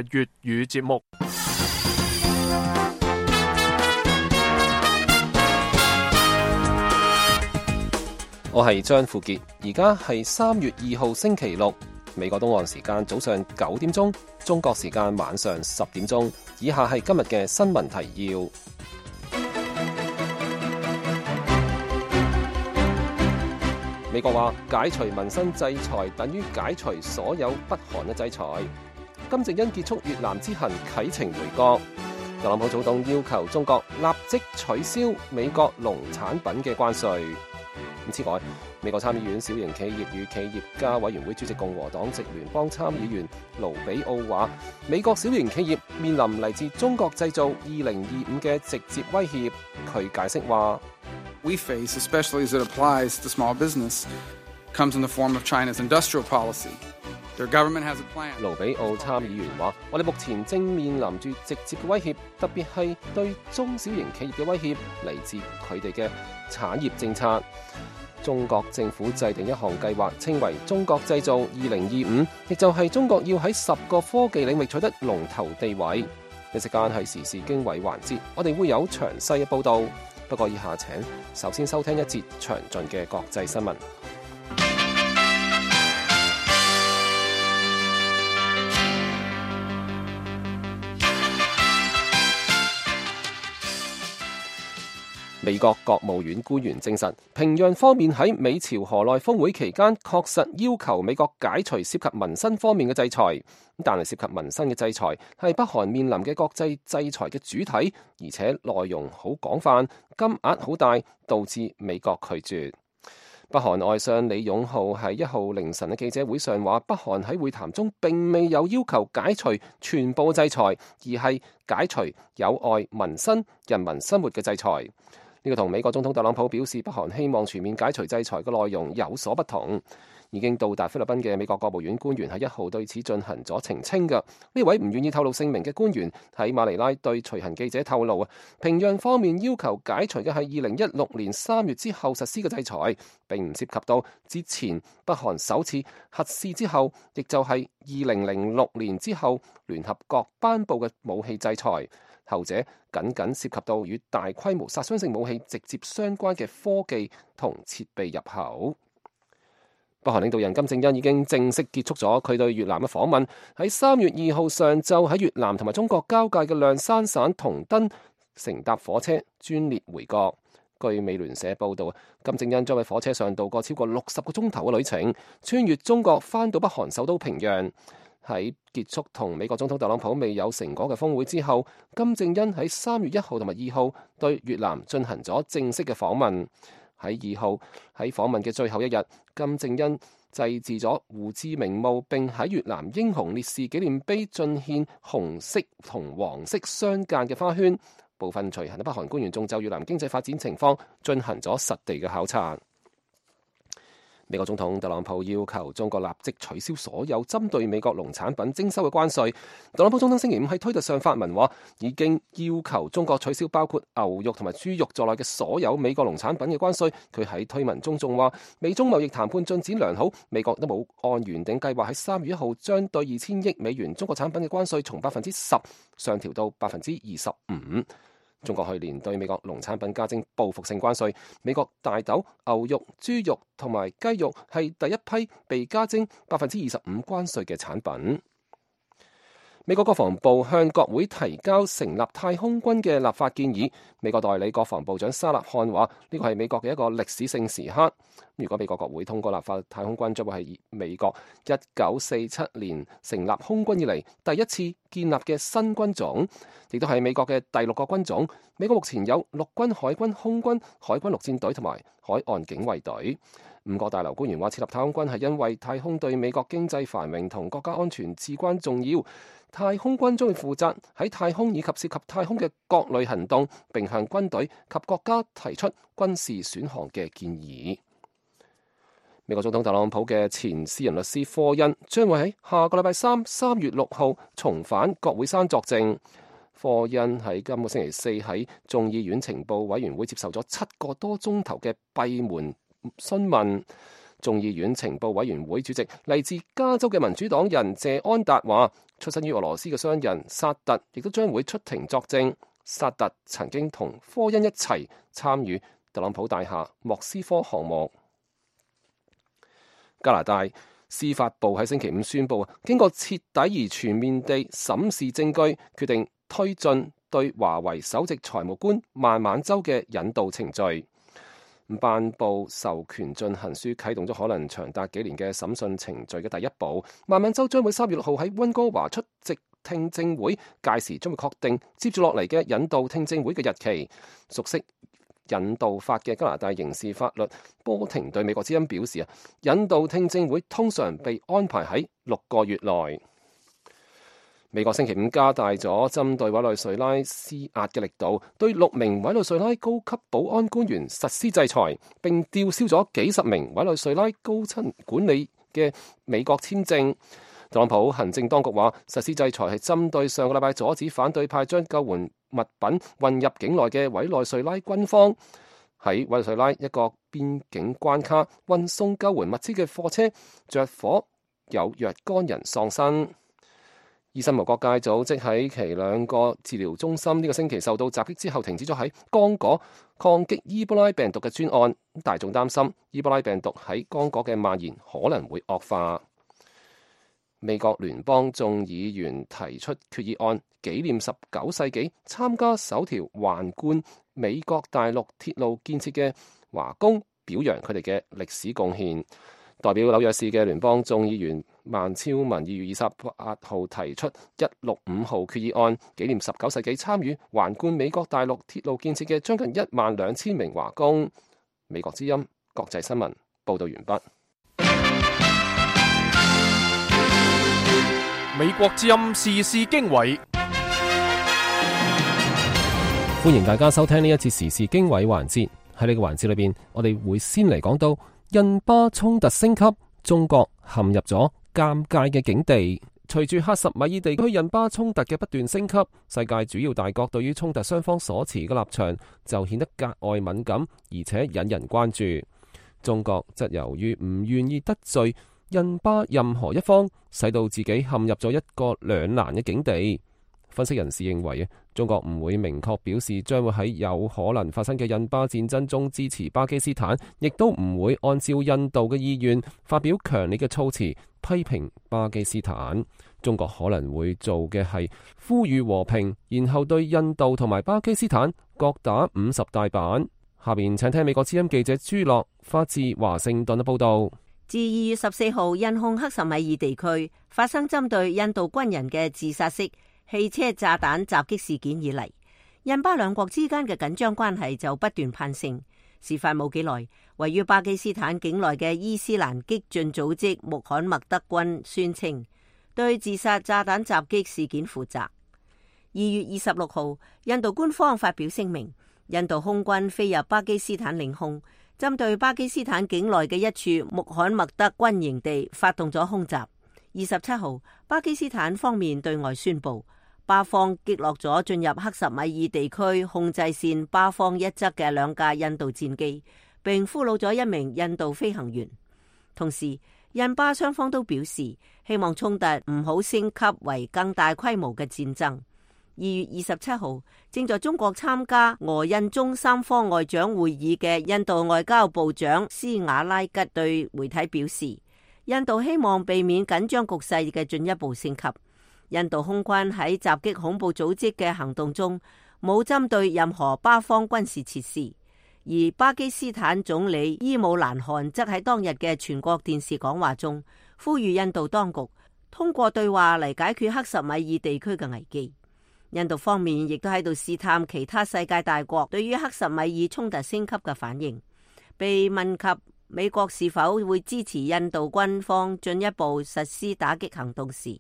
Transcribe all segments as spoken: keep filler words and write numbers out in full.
粵語節目。我係張富傑，而家係三月二號星期六，美國東岸時間早上九點鐘，中國時間晚上十點鐘。以下係今日嘅新聞提要。美國話解除民生制裁等於解除所有北韓嘅制裁。金正恩結束越南之行啟程回國。特朗普總統要求中國立即取消美國農產品嘅關稅。此外，美國參議院小型企業與企業家委員會主席共和黨籍聯邦參議員盧比奧話，美國小型企業面臨嚟自中國製造二零二五嘅直接威脅。佢解釋話 We face, especially as it applies to small business, comes in the form of China's industrial policy. Their government has a plan. 盧比奧參議員話，我哋目前正面臨住直接嘅威脅，特別係對中小型企業嘅威脅，嚟自佢哋嘅產業政策。中國政府制定一項計劃，稱為中國製造二零二五，亦就係中國要喺十個科技領域取得龍頭地位。呢時間係時事經緯環節，我哋會有詳細嘅報道。不過以下請首先收聽一節詳盡嘅國際新聞。美國國務院官員證實，平壤方面喺美朝河內峰會期間確實要求美國解除涉及民生方面嘅制裁，但係涉及民生嘅制裁係北韓面臨嘅國際制裁嘅主體，而且內容好廣泛，金額好大，導致美國拒絕。北韓外相李勇浩喺一號凌晨嘅記者會上話，北韓喺會談中並未有要求解除全部制裁，而係解除有礙民生、人民生活嘅制裁。呢個同美國總統特朗普表示北韓希望全面解除制裁嘅內容有所不同。已經到達菲律賓嘅美國國務院官員喺一號對此進行咗澄清嘅。呢位唔願意透露姓名嘅官員喺馬尼拉對隨行記者透露啊，平壤方面要求解除嘅係二零一六年三月之後實施嘅制裁，並唔涉及到之前北韓首次核試之後，亦就係二零零六年之後聯合國頒布嘅武器制裁。後者僅僅涉及到與大規模殺傷性武器直接相關嘅科技同設備入口。北韓領導人金正恩已經正式結束咗佢對越南嘅訪問，喺三月二號上晝喺越南同埋中國交界嘅諒山省同登乘搭火車專列回國。據美聯社報道，金正恩將喺火車上度過超過六十個鐘頭嘅旅程，穿越中國返到北韓首都平壤。喺結束同美國總統特朗普未有成果嘅峰會之後，金正恩喺三月一號同埋二號對越南進行咗正式嘅訪問。喺二號喺訪問嘅最後一日，金正恩祭祀咗胡志明墓，並喺越南英雄烈士紀念碑進獻紅色同黃色相間嘅花圈。部分隨行嘅北韓官員仲就越南經濟發展情況進行咗實地嘅考察。美國總統特朗普要求中國立即取消所有針對美國農產品徵收嘅關稅。特朗普總統星期五喺推特上發文話，已經要求中國取消包括牛肉同埋豬肉在內嘅所有美國農產品嘅關稅。佢喺推文中仲話，美中貿易談判進展良好，美國都冇按原定計劃喺三月一號將對二千億美元中國產品嘅關稅從百分之十上調到百分之二十五。中國去年對美國農產品加徵報復性關稅，美國大豆、牛肉、豬肉同埋雞肉係第一批被加徵百分之二十五關稅嘅產品。美國國防部向國會提交成立太空軍嘅立法建議。美國代理國防部長沙勒漢話，呢個係美國嘅一個歷史性時刻。如果美國國會通過立法，太空軍將會係美國一九四七年成立空軍以嚟第一次建立嘅新軍種，亦都係美國嘅第六個軍種。美國目前有陸軍、海軍、空軍、海軍陸戰隊同埋海岸警衛隊。五個大樓官員話，設立太空軍係因為太空對美國經濟繁榮同國家安全至關重要。太空軍將會負責喺太空以及涉及太空嘅各類行動，並向軍隊及國家提出軍事選項嘅建議。美國總統特朗普嘅前私人律師科恩將會喺下個禮拜三三月六號重返國會山作證。科恩喺今個星期四喺眾議院情報委員會接受咗七個多鐘頭嘅閉門詢問。眾議院情報委員會主席嚟自加州嘅民主黨人謝安達話，出身於俄羅斯嘅商人薩特亦都將會出庭作證。薩特曾經同科恩一齊參與特朗普大廈莫斯科項目。加拿大司法部喺星期五宣布，經過徹底而全面地審視證據，決定推進對華為首席財務官孟晚舟嘅引渡程序。頒布授權進行書啟動咗可能長達幾年嘅審訊程序嘅第一步。孟晚舟將會三月六號喺溫哥華出席聽證會，屆時將會確定接住落嚟嘅引渡聽證會嘅日期。熟悉引渡法嘅加拿大刑事法律波廷對美國之音表示啊，引渡聽證會通常被安排喺六個月內。美國星期五加大咗針對委內瑞拉施壓嘅力度，對六名委內瑞拉高級保安官員實施制裁，並吊銷咗幾十名委內瑞拉高層管理嘅美國簽證。特朗普行政當局話，實施制裁係針對上個禮拜阻止反對派將救援物品運入境內嘅委內瑞拉軍方。喺委內瑞拉一個邊境關卡運送救援物資嘅貨車着火，有若干人喪生。醫生無國界組織喺其兩個治療中心呢個星期受到襲擊之後，停止咗喺剛果抗擊伊波拉病毒嘅專案。大眾擔心伊波拉病毒喺剛果嘅蔓延可能會惡化。美國聯邦眾議員提出決議案，紀念十九世紀參加首條橫貫美國大陸鐵路建設嘅華工，表揚佢哋嘅歷史貢獻。代表紐約市嘅聯邦眾議員孟超文二月二十八號提出一六五號決議案，紀念十九世紀參與橫貫美國大陸鐵路建設嘅將近一萬兩千名華工。美國之音國際新聞報道完畢。美國之音時事經緯，歡迎大家收聽呢一節時事經緯環節。喺呢個環節裏邊，我哋會先嚟講到印巴衝突升級，中國陷入咗尷尬嘅境地。隨住克什米爾地區印巴衝突嘅不斷升級，世界主要大國對於衝突雙方所持嘅立場就顯得格外敏感，而且引人關注。中國則由於唔願意得罪印巴任何一方，使到自己陷入咗一個兩難嘅境地。分析人士認為，中國唔會明確表示將會喺有可能發生嘅印巴戰爭中支持巴基斯坦，亦都唔會按照印度嘅意願發表強烈嘅措辭批評巴基斯坦。中國可能會做嘅係呼籲和平，然後對印度同埋巴基斯坦各打五十大板。下邊請聽美國之音記者朱樂發自華盛頓嘅報道。自二月十四號印控克什米爾地區發生針對印度軍人嘅自殺式汽車炸彈襲擊事件以嚟，印巴兩國之間嘅緊張關係就不斷攀升。事發冇幾耐，位於巴基斯坦境內嘅伊斯蘭激進組織穆罕默德軍宣稱對自殺炸彈襲擊事件負責。二月二十六號，印度官方發表聲明，印度空軍飛入巴基斯坦領空，針對巴基斯坦境內嘅一處穆罕默德軍營地發動咗空襲。二十七號，巴基斯坦方面對外宣布，巴方擊落咗進入克什米爾地區控制線巴方一側嘅兩架印度戰機，並俘虜咗一名印度飛行員。同時，印巴雙方都表示希望衝突唔好升級為更大規模嘅戰爭。二月二十七號，正在中國參加俄印中三方外長會議嘅印度外交部長斯瓦拉吉對媒體表示，印度希望避免緊張局勢嘅進一步升級。印度空軍喺襲擊恐怖組織嘅行動中冇針對任何巴方軍事設施，而巴基斯坦總理伊姆蘭汗則喺當日嘅全國電視講話中呼籲印度當局通過對話嚟解決克什米爾地區嘅危機。印度方面亦都喺度試探其他世界大國對於克什米爾衝突升級嘅反應。被問及美國是否會支持印度軍方進一步實施打擊行動時，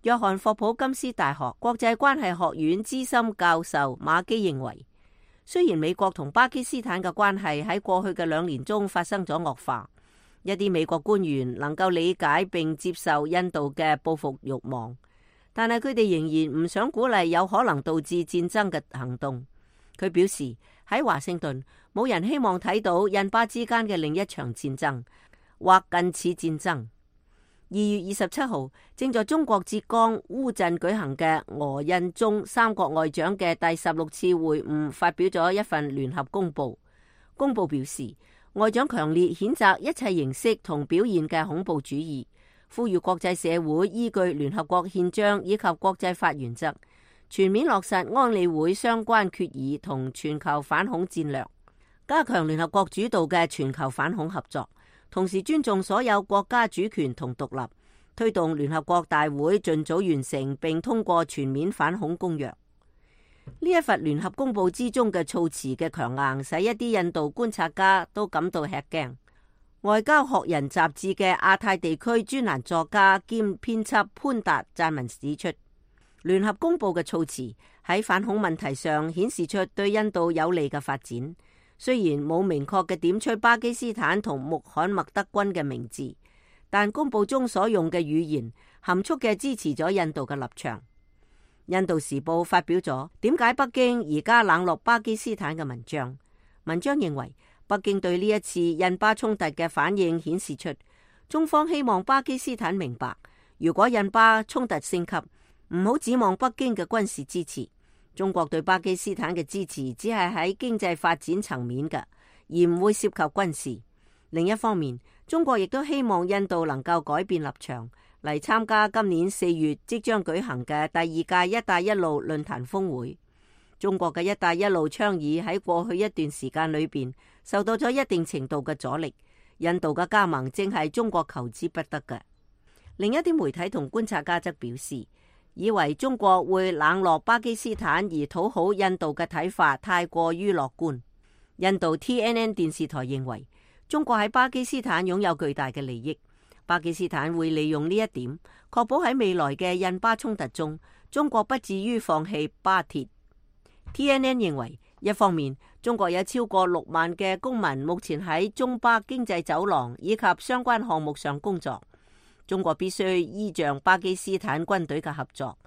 約翰霍普金斯大學國際關係學院資深教授馬基認為，雖然美國同巴基斯坦嘅關係喺過去嘅兩年中發生咗惡化，一啲美國官員能夠理解並接受印度嘅報復慾望，但係佢哋仍然唔想鼓勵有可能導致戰爭嘅行動。佢表示，喺華盛頓冇人希望睇到印巴之間嘅另一場戰爭或近似戰爭。二月二十七號，正在中國浙江烏鎮舉行嘅俄印中三國外長嘅第十六次會晤發表咗一份聯合公報。公報表示，外長強烈譴責一切形式同表現嘅恐怖主義，呼籲國際社會依據聯合國憲章以及國際法原則，全面落實安理會相關決議同全球反恐戰略，加強聯合國主導嘅全球反恐合作，同時尊重所有國家主權同獨立，推動聯合國大會盡早完成並通過全面反恐公約。呢一份聯合公報之中嘅措辭嘅強硬，使一啲印度觀察家都感到吃驚。外交學人雜誌嘅亞太地區專欄作家兼編輯潘達撰文指出，聯合公報嘅措辭喺反恐問題上顯示出對印度有利嘅發展。雖然冇明確嘅點出巴基斯坦同穆罕默德軍嘅名字，但公報中所用嘅語言含蓄嘅支持咗印度嘅立場。印度時報發表咗點解北京而家冷落巴基斯坦嘅文章。文章認為，北京對呢一次印巴衝突嘅反應顯示出中方希望巴基斯坦明白，如果印巴衝突升級，唔好指望北京嘅軍事支持。中國對巴基斯坦嘅支持只係喺經濟發展層面嘅，而唔會涉及軍事。另一方面，中國亦都希望印度能夠改變立場，嚟參加今年四月即將舉行嘅第二屆一帶一路論壇峰會。中國嘅一帶一路倡議喺過去一段時間裏邊受到咗一定程度嘅阻力，印度嘅加盟正係中國求之不得嘅。另一啲媒體同觀察家則表示，以為中國會冷落巴基斯坦而討好印度嘅睇法太過於樂觀。印度 T N N 電視台認為，中國喺巴基斯坦擁有巨大嘅利益，巴基斯坦會利用呢一點，確保喺未來嘅印巴衝突中，中國不至於放棄巴鐵。T N N 認為，一方面，中國有超過六萬嘅公民目前喺中巴經濟走廊以及相關項目上工作。中國必須依仗巴基斯坦軍隊嘅合作，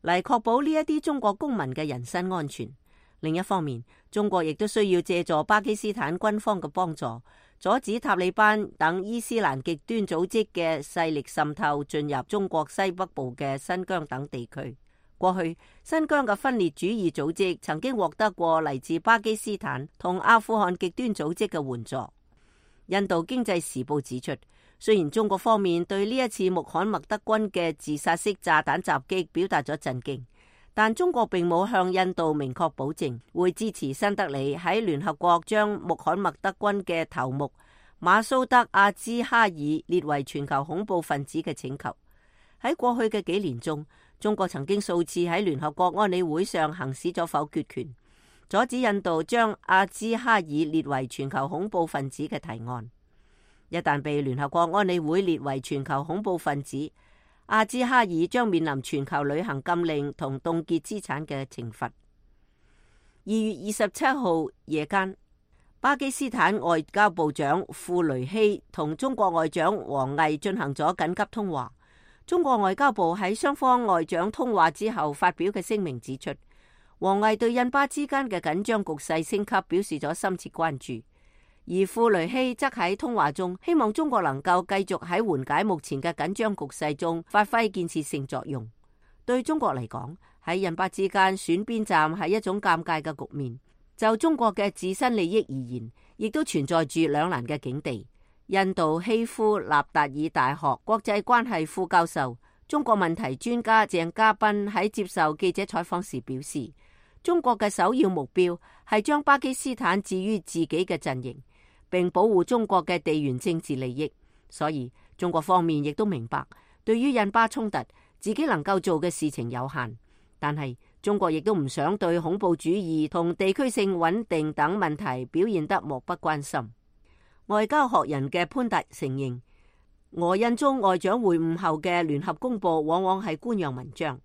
嚟確保呢一啲中國公民嘅人身安全。另一方面，中國亦都需要借助巴基斯坦軍方嘅幫助，阻止塔利班等伊斯蘭極端組織嘅勢力滲透進入中國西北部嘅新疆等地區。過去，新疆嘅分裂主義組織曾經獲得過嚟自巴基斯坦同阿富汗極端組織嘅援助。印度經濟時報指出，雖然中國方面對呢一次穆罕默德軍嘅自殺式炸彈襲擊表達咗震驚，但中國並冇向印度明確保證會支持新德里喺聯合國將穆罕默德軍嘅頭目馬蘇德阿茲哈爾列為全球恐怖分子嘅請求。喺過去嘅幾年中，中國曾經數次喺聯合國安理會上行使咗否決權，阻止印度將阿茲哈爾列為全球恐怖分子嘅提案。一旦被聯合國安理會列為全球恐怖分子，阿茲哈爾將面臨全球旅行禁令同凍結資產嘅懲罰。二月二十七號夜間，巴基斯坦外交部長庫雷希同中國外長王毅進行咗緊急通話。中國外交部喺雙方外長通話之後發表嘅聲明指出，王毅對印巴之間嘅緊張局勢升級表示咗深切關注。而庫雷希則喺通話中希望中國能夠繼續喺緩解目前嘅緊張局勢中發揮建設性作用。對中國嚟講，喺印巴之間選邊站係一種尷尬嘅局面。就中國嘅自身利益而言，亦都存在住兩難嘅境地。印度希夫納達爾大學國際關係副教授、中國問題專家鄭家斌喺接受記者採訪時表示，中國嘅首要目標係將巴基斯坦置於自己嘅陣營，並保護中國嘅地緣政治利益。所以中國方面亦都明白，對於印巴衝突，自己能夠做嘅事情有限。但係中國亦都唔想對恐怖主義同地區性穩定等問題表現得漠不關心。外交學人嘅潘達承認，俄印中外長會晤後嘅聯合公報往往係官樣文章，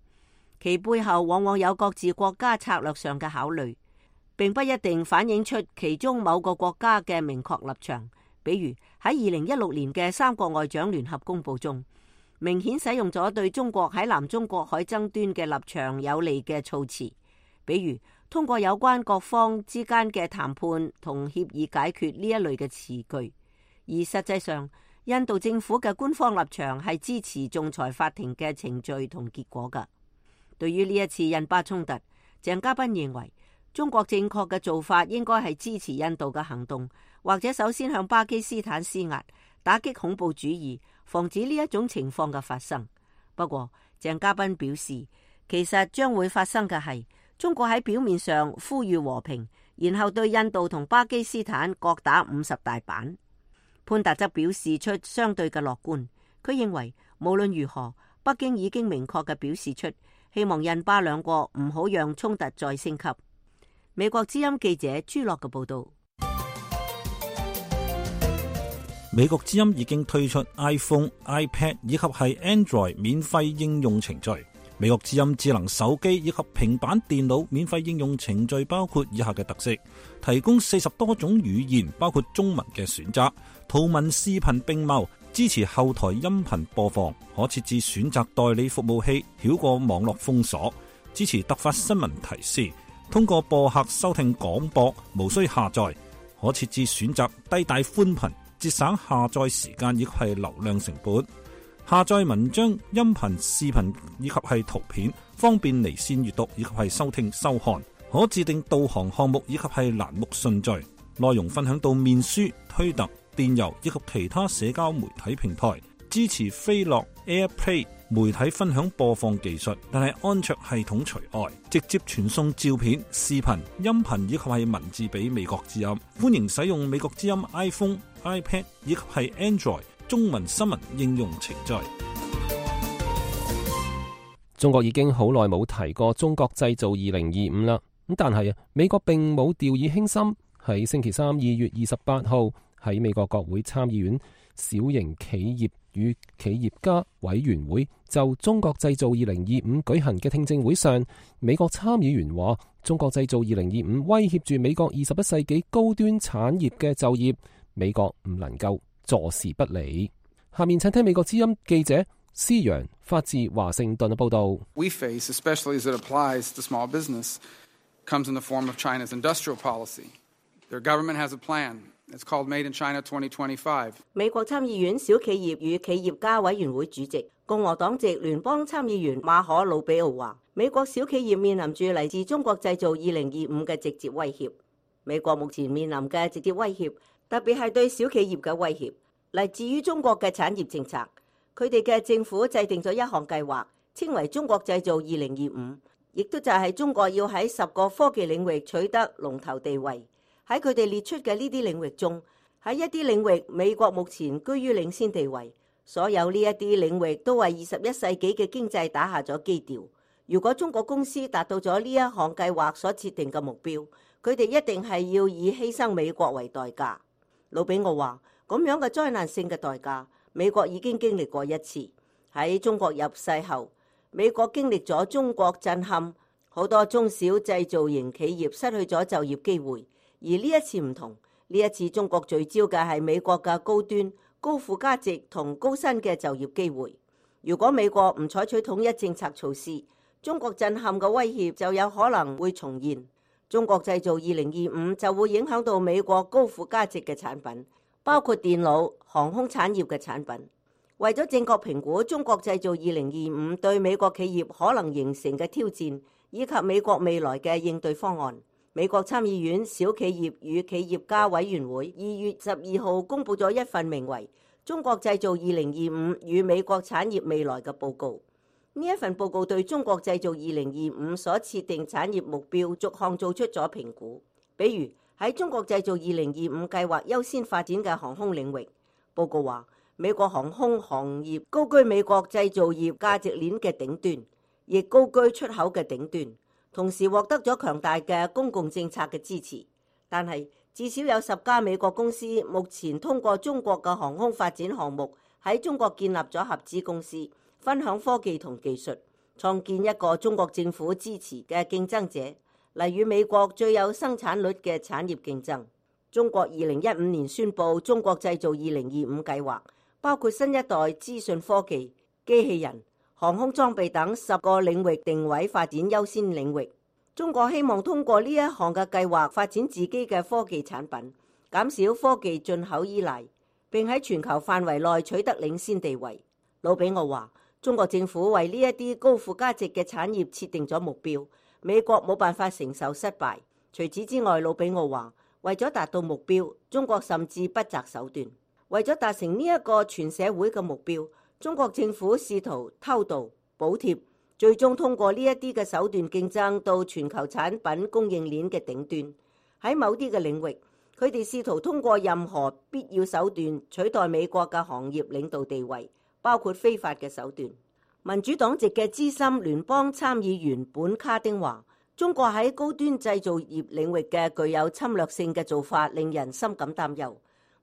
其背後往往有各自國家策略上嘅考慮，並不一定反映出其中某個國家嘅明確立場。比如喺二零一六年嘅三國外長聯合公報中，明顯使用咗對中國喺南中國海爭端嘅立場有利嘅措辭，比如通過有關各方之間嘅談判同協議解決呢一類嘅詞句。而實際上，印度政府嘅官方立場係支持仲裁法庭嘅程序同結果㗎。對於呢一次印巴衝突，鄭家彬認為中國正確嘅做法應該係支持印度嘅行動，或者首先向巴基斯坦施壓，打擊恐怖主義，防止呢一種情況嘅發生。不過，鄭家彬表示，其實將會發生嘅係中國喺表面上呼籲和平，然後對印度同巴基斯坦各打五十大板。潘達則表示出相對嘅樂觀，佢認為無論如何，北京已經明確嘅表示出希望印巴兩國唔好讓衝突再升級。美國之音記者朱樂嘅報道。美國之音已經推出 iPhone、iPad 以及係 Android 免費應用程序。美國之音智能手機以及平板電腦免費應用程序包括以下嘅特色：提供四十多種語言，包括中文嘅選擇，圖文視頻並茂，支持後台音頻播放，可設置選擇代理服務器，繞過網絡封鎖，支持突發新聞提示，通過播客收聽廣播，無需下載，可設置選擇低帶寬頻，節省下載時間以及係流量成本。下載文章、音頻、視頻以及係圖片，方便離線閱讀以及係收聽收看。可自定導航項目以及係欄目順序。內容分享到面書、推特、電郵以及其他社交媒體平台。支持飛樂 AirPlay 媒體分享播放技術，但係安卓系統除外。直接傳送照片、視頻、音頻以及係文字俾美國之音。歡迎使用美國之音 iPhone、iPad 以及係 Android中文新聞應用程序。中國已經好耐冇提過中國製造二零二五啦，咁但係啊，美國並冇掉以輕心。喺星期三二月二十八號喺美國國會參議院小型企業與企業家委員會就中國製造二零二五舉行嘅聽證會上，美國參議員話中國製造二零二五威脅住美國二十一世紀高端產業嘅就業，美國唔能夠坐視不理。下面請聽美國之音記者施陽發自華盛頓嘅報道。 We face, especially as it applies to small business, comes in the form of China's industrial policy. Their government has a plan. It's called Made in China twenty twenty-five. 美國參議院小企業與企業家委員會主席共和黨籍聯邦參議員馬可魯比奧話，美國小企業面臨住嚟自中國製造二零二五嘅直接威脅。美國目前面臨嘅直接威脅，特別係對小企業嘅威脅，嚟自於中國嘅產業政策。佢哋嘅政府制定咗一項計劃，稱為中國製造二零二五，亦都就係中國要喺十個科技領域取得龍頭地位。喺佢哋列出嘅呢啲領域中，喺一啲領域美國目前居於領先地位。所有呢一啲領域都為二十一世紀嘅經濟打下咗基調。如果中國公司達到咗呢一項計劃所設定嘅目標，佢哋一定係要以犧牲美國為代價。魯比奧話，咁樣嘅災難性嘅代價，美國已經經歷過一次。喺中國入世後，美國經歷咗中國震撼，好多中小製造型企業失去咗就業機會。而呢一次唔同，呢一次中國聚焦嘅係美國嘅高端、高附加值同高薪嘅就業機會。如果美國唔採取統一政策措施，中國震撼嘅威脅就有可能會重現。中國製造二零二五就會影響到美國高附加值嘅產品，包括電腦、航空產業嘅產品。為咗正確評估中國製造二零二五對美國企業可能形成嘅挑戰，以及美國未來嘅應對方案，美國參議院小企業與企業家委員會二月十二號公布咗一份名為《中國製造二零二五與美國產業未來》嘅報告。呢一份報告對中國製造二零二五所設定產業目標逐項做出咗評估。比如喺中國製造二零二五計劃優先發展嘅航空領域，報告話美國航空行業高居美國製造業價值鏈嘅頂端，亦高居出口嘅頂端。同時獲得咗強大嘅公共政策嘅支持，但係至少有十家美國公司目前通過中國嘅航空發展項目喺中國建立咗合資公司，分享科技同技術，創建一個中國政府支持嘅競爭者，嚟與美國最有生產率嘅產業競爭。中國二零一五年宣布中國製造二零二五計劃，包括新一代資訊科技、機器人、航空裝備等十個領域定位發展優先領域。中國希望通過呢一項嘅計劃發展自己嘅科技產品，減少科技進口依賴。並喺全球範圍內取得領先地位。魯比奧話：中國政府為呢一啲高附加值嘅產業設定咗目標，美國冇辦法承受失敗。除此之外，魯比奧話，為咗達到目標，中國甚至不擇手段。為咗達成呢一個全社會嘅目標，中國政府試圖偷渡、補貼，最終通過呢一啲嘅手段競爭到全球產品供應鏈嘅頂端。喺某啲嘅領域，佢哋試圖通過任何必要手段取代美國嘅行業領導地位，包括非法嘅手段。民主黨籍嘅資深聯邦參議員本卡丁話：中國喺高端製造業領域嘅具有侵略性嘅做法令人深感擔憂，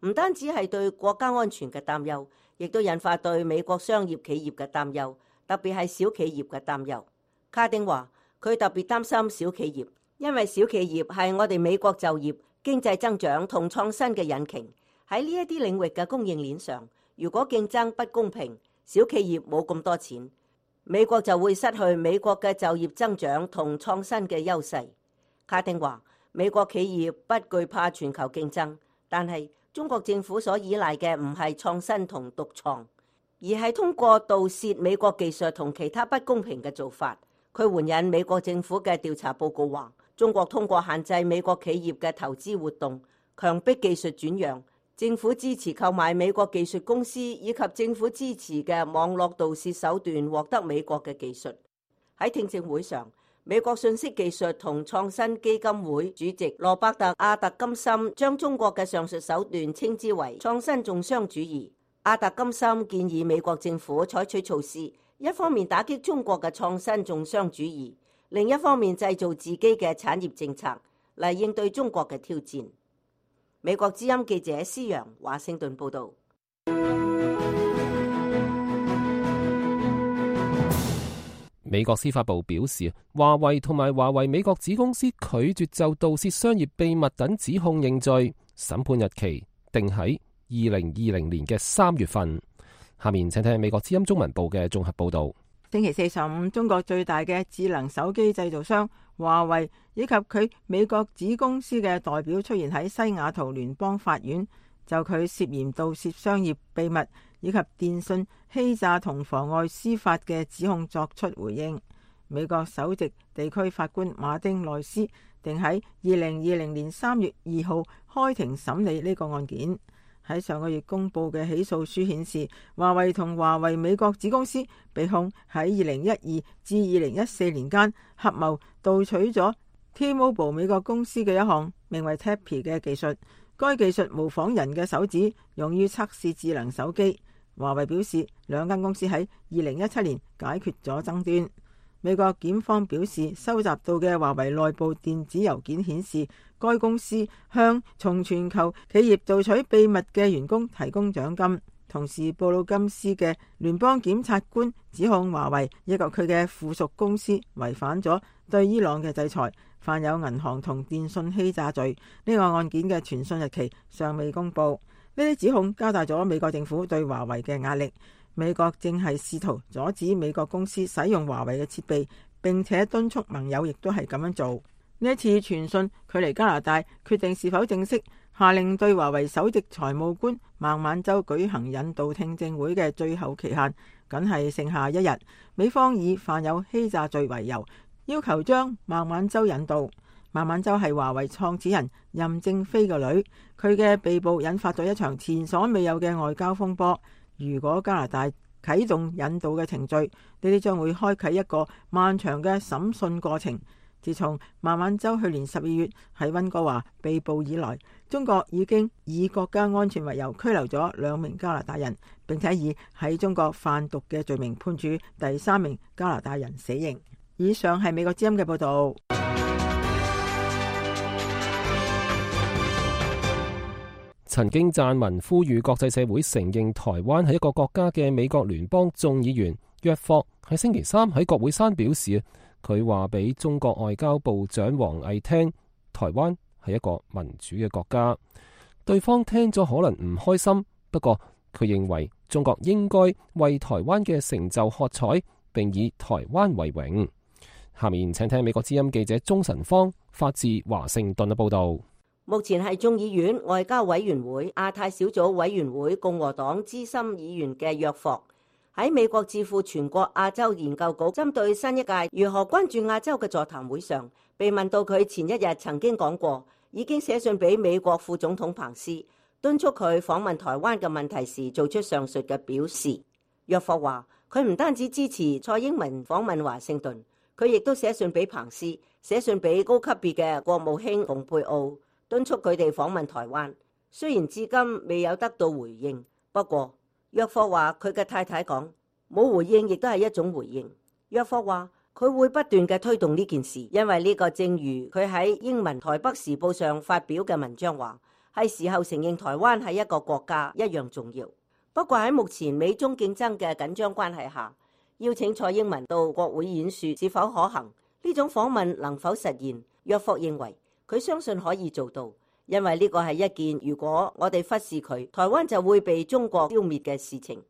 唔單止係對國家安全嘅擔憂，亦都引發對美國商業企業嘅擔憂，特別係小企業嘅擔憂。卡丁話：佢特別擔心小企業，因為小企業係我哋美國就業、經濟增長同創新嘅引擎。喺呢一啲領域嘅供應鏈上，如果競爭不公平，小企業冇咁多錢，美國就會失去美國嘅就業增長同創新嘅優勢。卡丁話：美國企業不懼怕全球競爭，但係中國政府所依賴嘅唔係創新同獨創，而係通過盜竊美國技術同其他不公平嘅做法。佢援引美國政府嘅調查報告話，中國通過限制美國企業嘅投資活動、強迫技術轉讓、政府支持購買美國技術公司以及政府支持嘅網絡盜竊手段獲得美國嘅技術。喺聽證會上，美國信息技術同創新基金會主席羅伯特·阿特金森將中國嘅上述手段稱之為創新重商主義。阿特金森建議美國政府採取措施，一方面打擊中國嘅創新重商主義，另一方面製造自己嘅產業政策嚟應對中國嘅挑戰。美國之音記者施洋華盛頓報道。美國司法部表示，華為同埋華為美國子公司拒絕就盜竊商業秘密等指控認罪，審判日期定喺二零二零年嘅三月份。下面請聽美國之音中文部嘅綜合報道。星期四上午，中國最大嘅智能手機製造商華為以及佢美國子公司嘅代表出現喺西雅圖聯邦法院，就佢涉嫌盜竊商業秘密以及電信欺詐同妨礙司法嘅指控作出回應。美國首席地區法官馬丁內斯定喺二零二零年三月二號開庭審理呢個案件。喺上個月公布嘅起訴書顯示，華為同華為美國子公司被控喺二零一二至二零一四年間合謀盜取咗 T-Mobile 美國公司嘅一項名為 Tappy 嘅技術。該技術模仿人嘅手指，用於測試智能手機。華為表示，兩間公司喺二零一七年解決咗爭端。美國檢方表示，收集到嘅華為內部電子郵件顯示，該公司向從全球企業盜取秘密嘅員工提供獎金。同時，布魯金斯嘅聯邦檢察官指控華為以及佢嘅附屬公司違反咗對伊朗嘅制裁，犯有銀行同電信欺詐罪。呢個案件嘅傳訊日期尚未公布。呢啲指控加大咗美國政府對華為嘅壓力。美國正係試圖阻止美國公司使用華為嘅設備，並且敦促盟友亦都係咁樣做。呢一次傳訊距離加拿大決定是否正式下令對華為首席財務官孟晚舟舉行引渡聽證會嘅最後期限，僅係剩下一日。美方以犯有欺詐罪為由，要求將孟晚舟引渡。孟晚舟係華為創始人任正非嘅女，佢嘅被捕引發咗一場前所未有嘅外交風波。如果加拿大啟動引渡嘅程序，呢啲將會開啟一個漫長嘅審訊過程。自從孟晚舟去年十二月喺溫哥華被捕以來，中國已經以國家安全為由拘留咗兩名加拿大人，並且以喺中國販毒嘅罪名判處第三名加拿大人死刑。以上係美國之音嘅報道。曾經撰文呼籲國際社會承認台灣係一個國家嘅美國聯邦眾議員約霍喺星期三喺國會山表示，佢話俾中國外交部長王毅聽，台灣係一個民主嘅國家。對方聽咗可能唔開心，不過佢認為中國應該為台灣嘅成就喝彩，並以台灣為榮。下面請聽美國之音記者鍾晨芳發自華盛頓嘅報道。目前係眾議院外交委員會亞太小組委員會共和黨資深議員嘅約霍喺美國智庫全國亞洲研究局針對新一屆如何關注亞洲嘅座談會上，被問到佢前一日曾經講過已經寫信俾美國副總統彭斯，敦促佢訪問台灣嘅問題時，做出上述嘅表示。約霍話佢唔單止支持蔡英文訪問華盛頓，佢亦都寫信俾彭斯，寫信俾高級別嘅國務卿蓬佩奧，敦促佢哋訪問台灣。雖然至今未有得到回應，不過約霍話佢嘅太太講冇回應亦都係一種回應。約霍話佢會不斷嘅推動呢件事，因為呢個正如佢喺英文台北時報上發表嘅文章話，係時候承認台灣係一個國家一樣重要。不過喺目前美中競爭嘅緊張關係下，邀請蔡英文到國會演說是否可行？呢種訪問能否實現？約霍認為佢相信可以做到，因為呢個係一件如果我哋忽視佢，台灣就會被中國消滅嘅事情。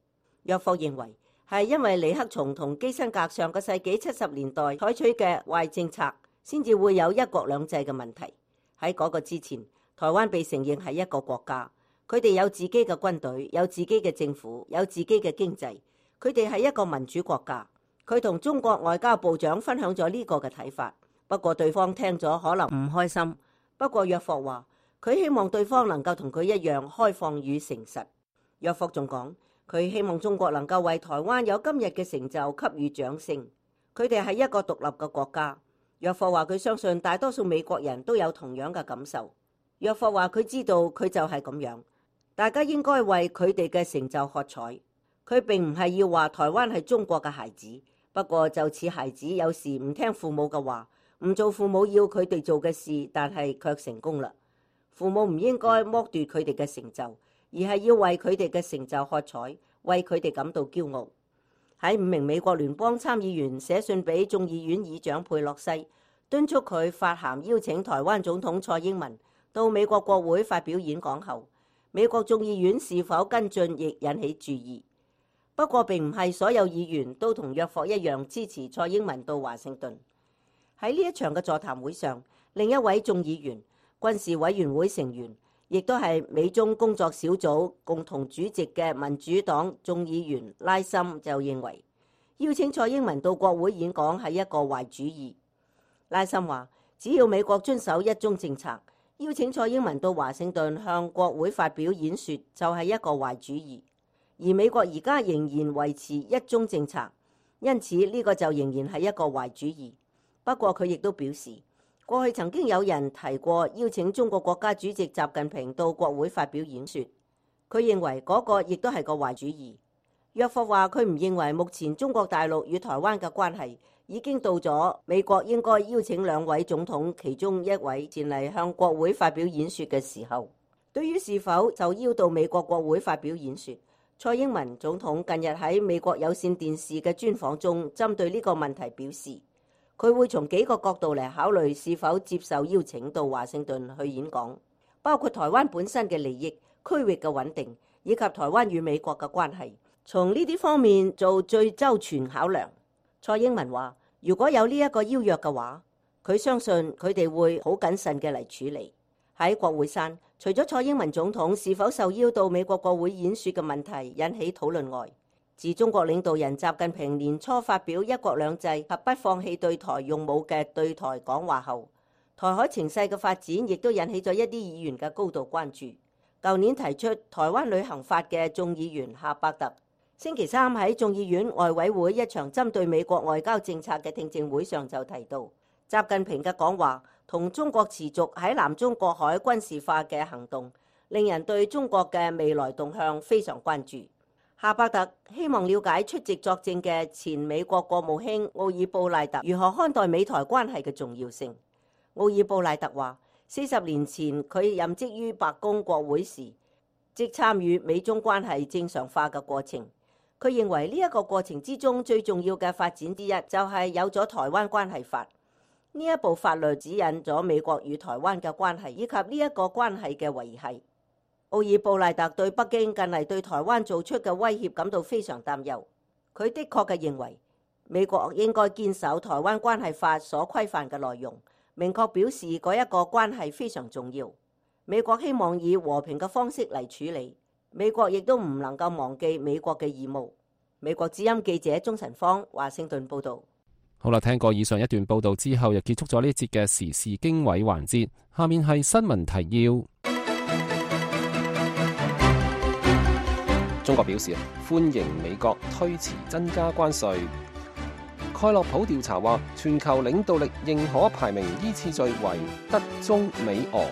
約霍認為係因為尼克松同基辛格上個世紀七十年代採取嘅壞政策，先至會有一國兩制嘅問題。喺嗰個之前，台灣被承認係一個國家。佢哋有自己嘅軍隊，有自己嘅政府，有自己嘅經濟。佢哋係一個民主國家。佢同中國外交部長分享咗呢個嘅睇法，不過對方聽咗可能唔開心。不過約霍話佢希望對方能夠同佢一樣開放與誠實。約霍仲講佢希望中國能夠為台灣有今日嘅成就給予掌聲。佢哋係一個獨立嘅國家。約霍話佢相信大多數美國人都有同樣嘅感受。約霍話佢知道佢就係咁樣。大家應該為佢哋嘅成就喝彩。佢並唔係要話台灣係中國嘅孩子，不過就似孩子有時唔聽父母嘅話，唔做父母要佢哋做嘅事，但係卻成功啦。父母唔應該剝奪佢哋嘅成就，而係要為佢哋嘅成就喝彩，為佢哋感到驕傲。喺五名美國聯邦參議員寫信俾眾議院議長佩洛西，敦促佢發函邀請台灣總統蔡英文到美國國會發表演講後，美國眾議院是否跟進亦引起注意。不過並唔係所有議員都同約霍一樣支持蔡英文到華盛頓。喺呢一場嘅座談會上，另一位眾議員、軍事委員會成員，亦都係美中工作小組共同主席嘅民主黨眾議員拉森就認為，邀請蔡英文到國會演講係一個壞主意。拉森話，只要美國遵守一中政策，邀請蔡英文到華盛頓向國會發表演說就係一個壞主意，而美國而家仍然維持一中政策，因此呢個就仍然係一個壞主意。不過佢亦都表示，過去曾經有人提過邀請中國國家主席習近平到國會發表演說，佢認為嗰個亦都係個壞主意。約霍話佢唔認為目前中國大陸與台灣嘅關係已經到咗美國應該邀請兩位總統其中一位前嚟向國會發表演說嘅時候。對於是否就邀到美國國會發表演說，蔡英文總統近日喺美國有線電視嘅專訪中針對呢個問題表示，佢會從幾個角度嚟考慮是否接受邀請到華盛頓去演講，包括台灣本身嘅利益、區域嘅穩定以及台灣與美國嘅關係，從呢啲方面做最周全考量。蔡英文話，如果有呢一個邀約嘅話，佢相信佢哋會好謹慎嘅嚟處理。喺國會山，除咗蔡英文總統是否受邀到美國國會演說嘅問題引起討論外，自中國領導人習近平年初發表一國兩制及不放棄對台用武嘅對台講話後，台海情勢嘅發展亦都引起咗一啲議員嘅高度關注。舊年提出台灣旅行法嘅眾議員夏伯特，星期三喺眾議院外委會一場針對美國外交政策嘅聽證會上就提到，習近平嘅講話同中國持續喺南中國海軍事化嘅行動，令人對中國嘅未來動向非常關注。夏伯特希望了解出席作證嘅前美國國務卿奧爾布賴特如何看待美台關係嘅重要性。奧爾布賴特話，四十年前佢任職於白宮國會時，即參與美中關係正常化嘅過程。佢認為呢一個過程之中最重要嘅發展之一就係有咗台灣關係法。呢一部法律指引咗美國與台灣嘅關係以及呢一個關係嘅維繫。奧爾布賴特對北京近嚟對台灣做出嘅威脅感到非常擔憂。佢的確嘅認為美國應該堅守台灣關係法所規範嘅內容，明確表示嗰一個關係非常重要。美國希望以和平嘅方式嚟處理。美國亦都唔能夠忘記美國嘅義務。美國之音記者鍾晨芳華盛頓報道。好啦，聽過以上一段報道之後，又結束咗呢一節嘅時事經緯環節。下面係新聞提要。中國表示歡迎美國推遲增加關稅。蓋洛普調查話，全球領導力認可排名依次序為德、中、美、俄。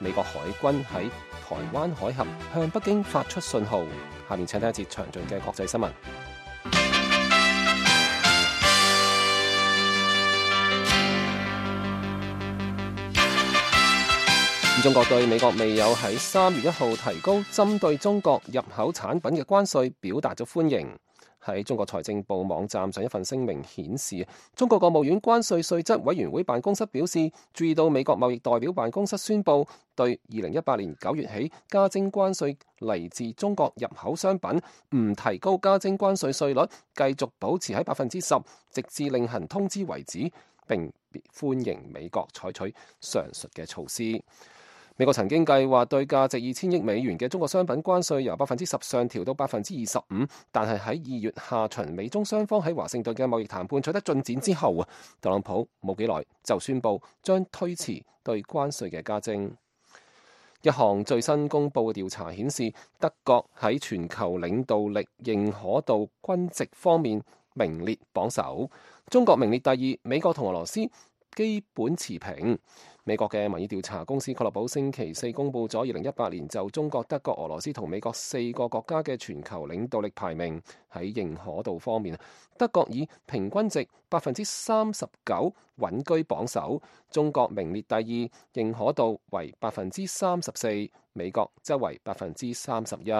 美國海軍喺台灣海峽向北京發出信號。下面請聽一節詳盡嘅國際新聞。中國對美國未有喺三月一號提高針對中國入口產品嘅關稅表達咗歡迎。喺中國財政部網站上一份聲明顯示，中國國務院關稅稅則委員會辦公室表示，注意到美國貿易代表辦公室宣布對二零一八年九月起加徵關稅嚟自中國入口商品唔提高加徵關稅稅率，繼續保持喺百分之十，直至另行通知為止，並歡迎美國採取上述嘅措施。美國曾經計劃對價值二千億美元嘅中國商品關稅由百分之十上調到百分之二十五，但係喺二月下旬美中雙方喺華盛頓嘅貿易談判取得進展之後啊，特朗普冇幾耐就宣布將推遲對關稅嘅加徵。一項最新公佈嘅調查顯示，德國喺全球領導力認可度均值方面名列榜首，中國名列第二，美國同俄羅斯基本持平。美國嘅民意調查公司蓋洛普星期四公佈咗二零一八年就中國、德國、俄羅斯同美國四個國家嘅全球領導力排名。喺認可度方面，德國以平均值百分之三十九穩居榜首，中國名列第二，認可度為百分之三十四，美國則為百分之三十一。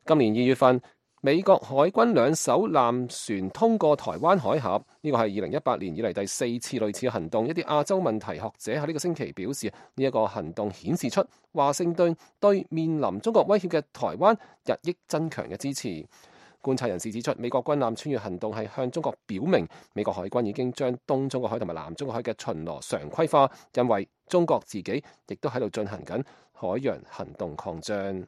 今年二月份，美國海軍兩艘艦船通過台灣海峽，呢個係二零一八年以嚟第四次類似嘅行動。一啲亞洲問題學者喺呢個星期表示，呢一個行動顯示出華盛頓對面臨中國威脅嘅台灣日益增強嘅支持。觀察人士指出，美國軍艦穿越行動係向中國表明，美國海軍已經將東中國海同埋南中國海嘅巡邏常規化，因為中國自己亦都喺度進行緊海洋行動擴張。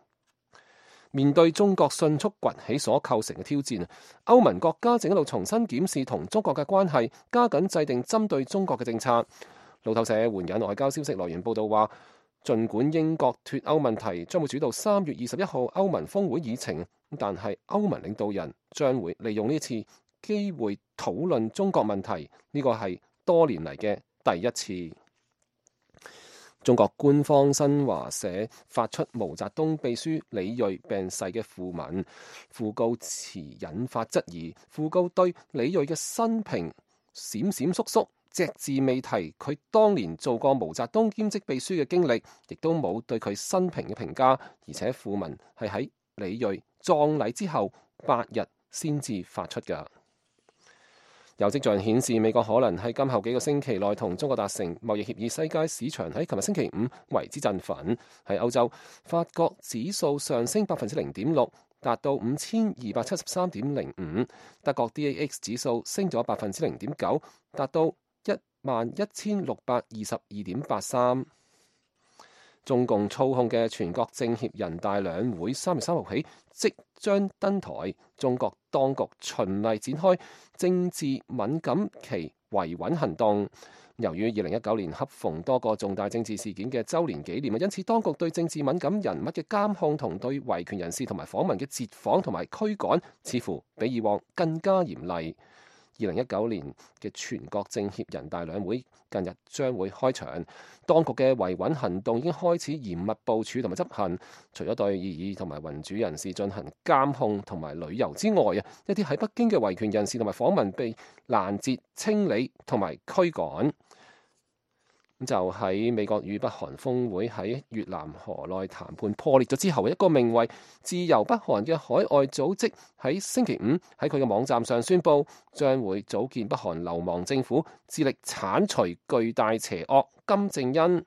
面對中國迅速崛起所構成嘅挑戰，歐盟國家正喺度重新檢視同中國嘅關係，加緊制定針對中國嘅政策。路透社援引外交消息來源報道話，儘管英國脫歐問題將會主導三月二十一號歐盟峰會議程，但係歐盟領導人將會利用呢次機會討論中國問題，呢個係多年嚟嘅第一次。中國官方新華社發出毛澤東秘書李銳病逝嘅訃文，訃告詞引發質疑。訃告對李銳嘅生平閃閃縮縮，隻字未提佢當年做過毛澤東兼職秘書嘅經歷，亦都冇對佢生平嘅評價。而且訃文係喺李銳葬禮之後八日先至發出㗎。有跡象顯示，美國可能喺今後幾個星期內同中國達成貿易協議。世界市場喺琴日星期五為之振奮。喺歐洲，法國指數上升百分之零點六，達到五千二百七十三點零五。德國 D A X 指數升咗百分之零點九，達到一萬一千六百二十二點八三。中共操控嘅全國政協人大兩會三月三號起即將登台，中國當局循例展開政治敏感期維穩行動。由於二零一九年恰逢多個重大政治事件嘅週年紀念，因此當局對政治敏感人物嘅監控同對維權人士同埋訪民嘅截訪同埋驅趕，似乎比以往更加嚴厲。二零一九年嘅全國政協人大兩會近日將會開場，當局嘅維穩行動已經開始嚴密部署同埋執行。除咗對異議同埋民主人士進行監控同埋旅遊之外啊，一啲喺北京嘅維權人士同埋訪民被攔截、清理同埋驅趕。就喺美國與北韓峰會喺越南河內談判破裂咗之後，一個名為自由北韓嘅海外組織喺星期五喺佢嘅網站上宣布，將會組建北韓流亡政府，致力剷除巨大邪惡金正恩。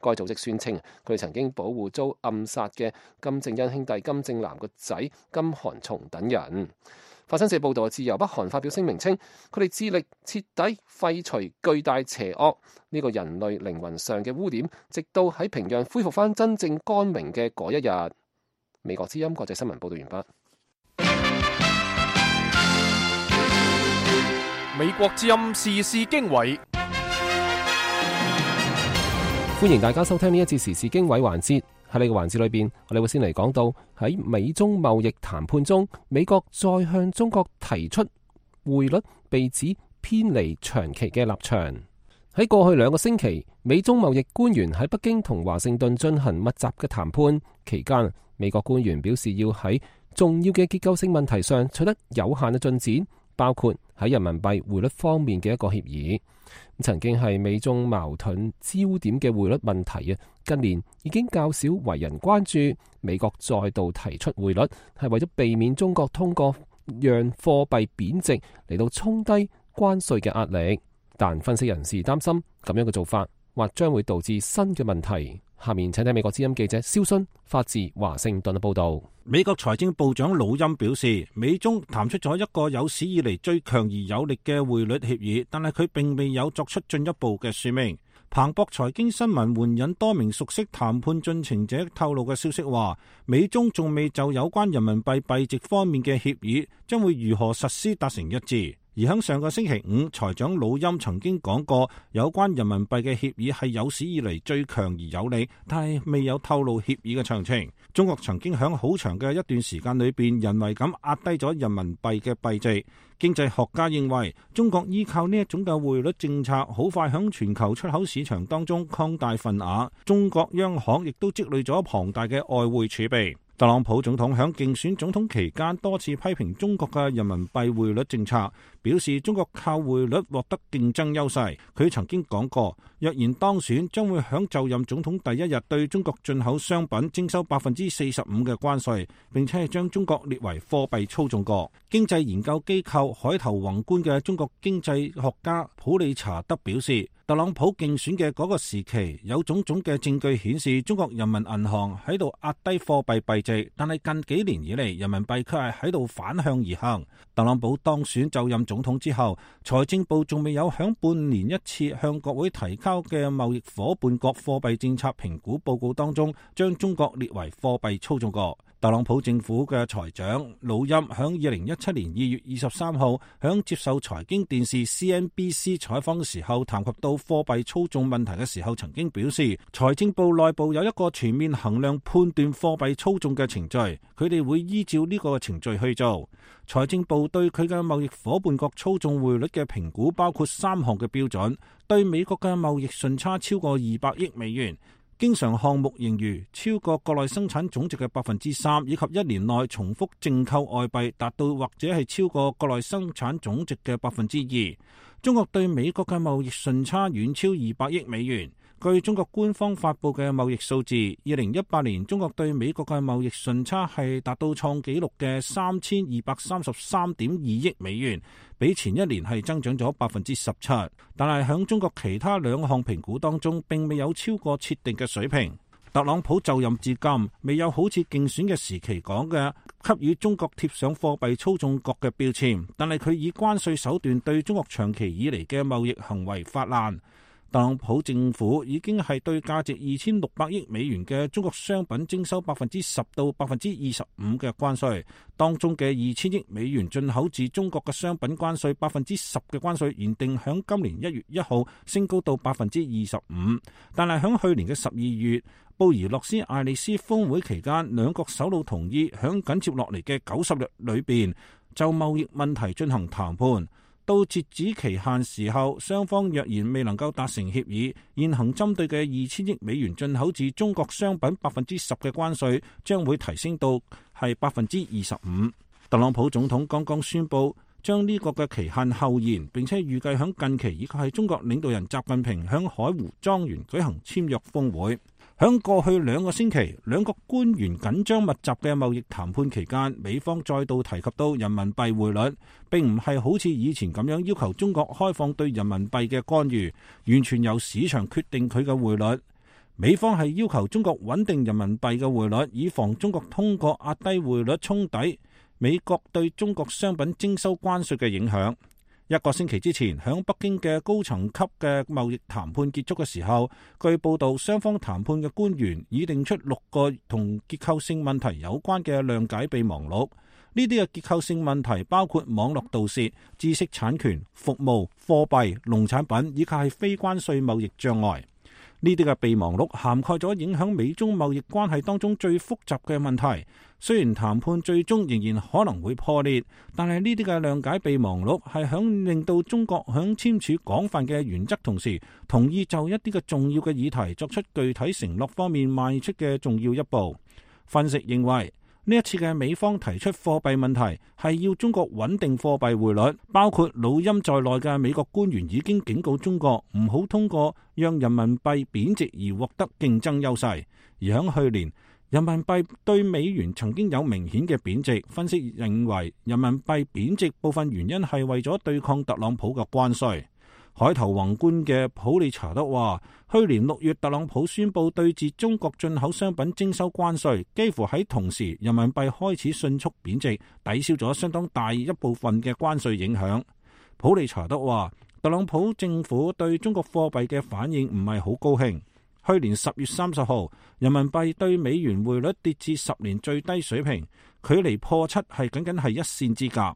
該組織宣稱，佢哋曾經保護遭暗殺嘅金正恩兄弟金正男個仔金韓松等人。法新社報道，自由北韓發表聲明稱，佢哋致力徹底廢除巨大邪惡呢個人類靈魂上嘅污點，直到喺平壤恢復翻真正光明嘅嗰一日。美國之音國際新聞報道完畢。美國之音時事經緯，歡迎大家收聽呢一節時事經緯環節。喺呢個環節裏邊，我哋會先嚟講到喺美中貿易談判中，美國再向中國提出匯率被指偏離長期嘅立場。喺過去兩個星期，美中貿易官員喺北京同華盛頓進行密集嘅談判期間，美國官員表示要喺重要嘅結構性問題上取得有限嘅進展，包括喺人民幣匯率方面嘅一個協議。曾經係美中矛盾焦點嘅匯率問題啊，近年已經較少為人關注。美國再度提出匯率，係為咗避免中國通過讓貨幣貶值嚟到沖低關稅嘅壓力。但分析人士擔心咁樣嘅做法，或將會導致新嘅問題。下面請睇美國之音記者蕭勳發自華盛頓嘅報道。美國財政部長魯欽表示，美中談出咗一個有史以嚟最強而有力嘅匯率協議，但係佢並未有作出進一步嘅說明。彭博財經新聞援引多名熟悉談判進程者透露嘅消息話，美中仲未就有關人民幣幣值方面嘅協議將會如何實施達成一致。而喺上個星期五，財長魯欽曾經講過，有關人民幣嘅協議係有史以嚟最強而有力，但係未有透露協議嘅詳情。中國曾經喺好長嘅一段時間裏邊，人為咁壓低咗人民幣嘅幣值。經濟學家認為，中國依靠呢一種嘅匯率政策，好快喺全球出口市場當中擴大份額。中國央行亦都積累咗龐大嘅外匯儲備。特朗普總統喺競選總統期間多次批評中國嘅人民幣匯率政策，表示中國靠匯率獲得競爭優勢。佢曾經講過，若然當選，將會喺就任總統第一日對中國進口商品徵收百分之四十五嘅關稅，並且係將中國列為貨幣操縱國。經濟研究機構海投宏觀嘅中國經濟學家普利查德表示，特朗普競選嘅嗰個時期，有種種嘅證據顯示中國人民銀行喺度壓低貨幣幣值，但係近幾年以嚟，人民幣卻係喺度反向而行。特朗普當選就任總統之後，財政部仲未有響半年一次向國會提交嘅貿易夥伴國貨幣政策評估報告當中，將中國列為貨幣操縱國。特朗普政府嘅財長魯欽響二零一七年二月二十三號響接受財經電視 C N B C 採訪嘅時候，談及到貨幣操縱問題嘅時候，曾經表示財政部內部有一個全面衡量判斷貨幣操縱嘅程序，佢哋會依照呢個程序去做。財政部對佢嘅貿易夥伴國操縱匯率嘅評估包括三項嘅標準：對美國嘅貿易順差超過二百億美元，經常項目盈餘超過國內生產總值嘅百分之三，以及一年內重複淨購外幣達到或者係超過國內生產總值嘅百分之二。中國對美國嘅貿易順差遠超二百億美元。據中國官方發布嘅貿易數字，二零一八年中國對美國嘅貿易順差係達到創紀錄嘅三千二百三十三點二億美元，比前一年係增長咗百分之十七。但係響中國其他兩項評估當中，並未有超過設定嘅水平。特朗普就任至今，未有好似競選嘅時期講嘅給予中國貼上貨幣操縱國嘅標籤，但係佢以關稅手段對中國長期以嚟嘅貿易行為發難。特朗普政府已經係對價值二千六百億美元嘅中國商品徵收百分之十到百分之二十五嘅關稅，當中嘅二千億美元進口自中國嘅商品關稅百分之十嘅關稅，原定響今年一月一號升高到百分之二十五，但係響去年嘅十二月布宜諾斯艾利斯峰會期間，兩國首腦同意響緊接落嚟嘅九十日裏邊就貿易問題進行談判。到截止期限時候，雙方若然未能夠達成協議，現行針對嘅二千億美元進口自中國商品百分之十嘅關稅將會提升到係百分之二十五。特朗普總統剛剛宣布將呢個嘅期限後延，並且預計響近期以及係中國領導人習近平響海湖莊園舉行簽約峰會。響過去兩個星期，兩國官員緊張密集嘅貿易談判期間，美方再度提及到人民幣匯率，並唔係好似以前咁樣要求中國開放對人民幣嘅干預，完全由市場決定佢嘅匯率。美方係要求中國穩定人民幣嘅匯率，以防中國通過壓低匯率沖抵美國對中國商品徵收關稅嘅影響。一個星期之前，響北京嘅高層級嘅貿易談判結束嘅時候，據報道雙方談判嘅官員已定出六個同結構性問題有關嘅諒解備忘錄。呢啲嘅結構性問題包括網絡盜竊、知識產權、服務、貨幣、農產品以及係非關稅貿易障礙。呢啲嘅備忘錄涵蓋咗影響美中貿易關係當中最複雜嘅問題。雖然談判最終仍然可能會破裂，但係呢啲嘅諒解備忘錄係響令到中國響簽署廣泛嘅原則同時，同意就一啲嘅重要嘅議題作出具體承諾方面邁出嘅重要一步。分析認為，呢一次嘅美方提出貨幣問題係要中國穩定貨幣匯率，包括老欽在內嘅美國官員已經警告中國唔好通過讓人民幣貶值而獲得競爭優勢。而響去年，人民幣對美元曾經有明顯嘅貶值。分析認為，人民幣貶值部分原因係為咗對抗特朗普嘅關稅。海投宏觀嘅普利查德話，去年六月特朗普宣布對自中國進口商品徵收關稅，幾乎喺同時人民幣開始迅速貶值，抵消咗相當大一部分嘅關稅影響。普利查德話，特朗普政府對中國貨幣嘅反應唔係好高興。去年十月三十號，人民幣對美元匯率跌至十年最低水平，距離破七係僅僅係一線之隔。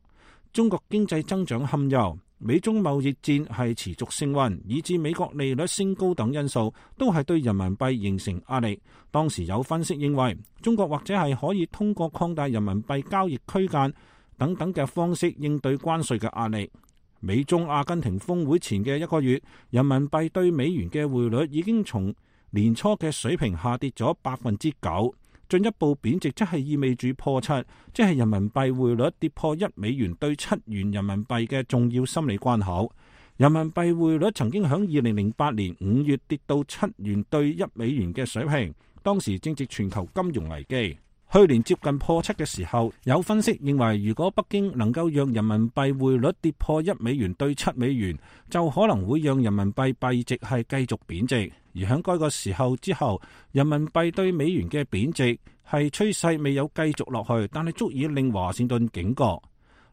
中國經濟增長堪憂，美中貿易戰係持續升溫，以致美國利率升高等因素都係對人民幣形成壓力。當時有分析認為，中國或者係可以通過擴大人民幣交易區間等等嘅方式應對關稅嘅壓力。美中阿根廷峰會前嘅一個月，人民幣對美元嘅匯率已經從年初嘅水平下跌咗百分之九，進一步貶值，即係意味住破七，即係人民幣匯率跌破一美元對七元人民幣嘅重要心理關口。人民幣匯率曾經喺二零零八年五月跌到七元對一美元嘅水平，當時正值全球金融危機。去年接近破七嘅時候，有分析認為，如果北京能夠讓人民幣匯率跌破一美元對七美元，就可能會讓人民幣幣值係繼續貶值。而喺該個時候之後，人民幣對美元嘅貶值係趨勢未有繼續落去，但係足以令華盛頓警覺。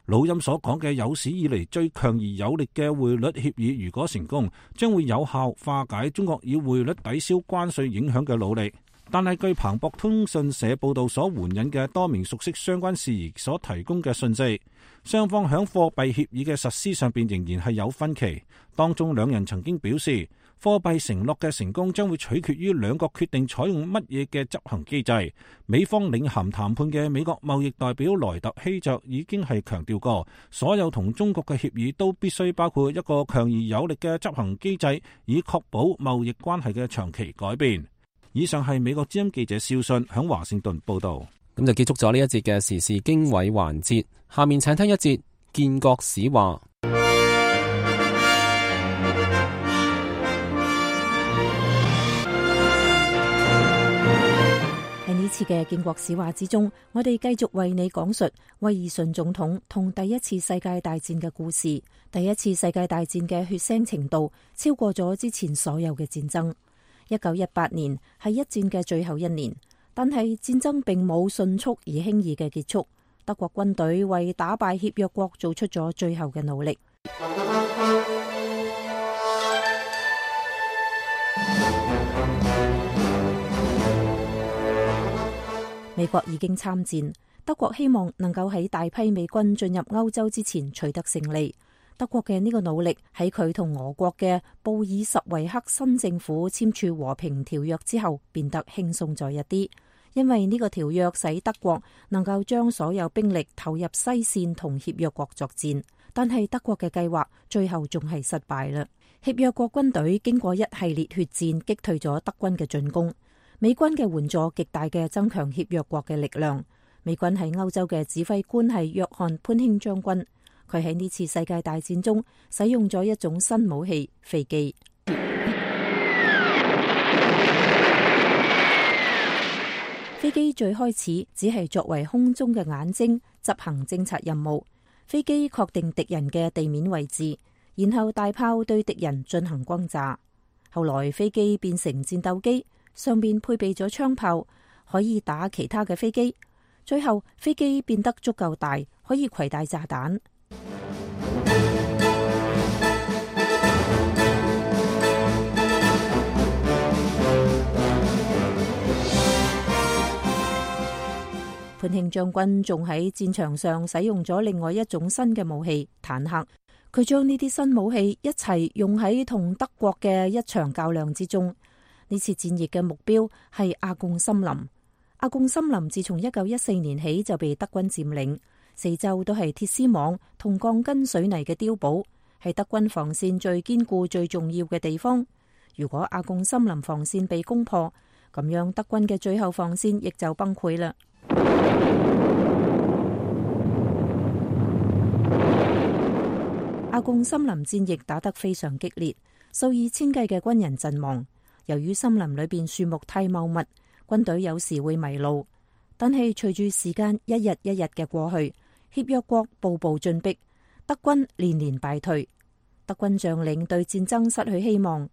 老欽所講嘅有史以嚟最強而有力嘅匯率協議，如果成功，將會有效化解中國以匯率抵消關稅影響嘅努力。但係據彭博通訊社報道所援引嘅多名熟悉相關事宜所提供嘅信息，雙方喺貨幣協議嘅實施上邊仍然係有分歧。當中兩人曾經表示，貨幣承諾嘅成功將會取決於兩國決定採用乜嘢嘅執行機制。美方領銜談判嘅美國貿易代表萊特希澤已經係強調過，所有同中國嘅協議都必須包括一個強而有力嘅執行機制，以確保貿易關係嘅長期改變。以上係美國之音記者邵信響華盛頓報道。咁就結束咗呢一節嘅時事經緯環節，下面請聽一節建國史話。喺呢次嘅建國史話之中，我哋繼續為你講述威爾遜總統同第一次世界大戰嘅故事。第一次世界大戰嘅血腥程度超過咗之前所有嘅戰爭。一九一八年係一戰嘅最後一年，但係戰爭並冇迅速而輕易嘅結束。德國軍隊為打敗協約國做出咗最後嘅努力。美國已經參戰，德國希望能夠喺大批美軍進入歐洲之前取得勝利。德國嘅呢個努力喺佢同俄國嘅布爾什維克新政府簽署和平條約之後變得輕鬆咗一啲，因為呢個條約使德國能夠將所有兵力投入西線同協約國作戰。但係德國嘅計劃最後仲係失敗啦。協約國軍隊經過一系列血戰擊退咗德軍嘅進攻，美軍嘅援助極大嘅增強協約國嘅力量。美軍喺歐洲嘅指揮官係約翰潘興將軍。佢喺呢次世界大戰中使用咗一種新武器——飛機。飛機最開始只係作為空中嘅眼睛，執行偵察任務。飛機確定敵人嘅地面位置，然後大炮對敵人進行轟炸。後來飛機變成戰鬥機，上面配備咗槍炮，可以打其他嘅飛機。最後飛機變得足夠大，可以攜帶炸彈。潘慶將軍仲喺戰場上使用咗另外一種新嘅武器——坦克。佢將呢啲新武器一齊用喺同德國嘅一場較量之中。呢次戰役嘅目標係阿貢森林。阿貢森林自從一九一四年起就被德軍佔領，四周都係鐵絲網同鋼筋水泥嘅碉堡，係德軍防線最堅固、最重要嘅地方。如果阿貢森林防線被攻破，咁樣德軍嘅最後防線亦就崩潰啦。阿貢森林戰役打得非常激烈，數以千計嘅軍人陣亡。由於森林裏邊樹木太茂密，軍隊有時會迷路。但係隨住時間一日一日嘅過去，協約國步步進逼，德軍連連敗退。德軍將領對戰爭失去希望。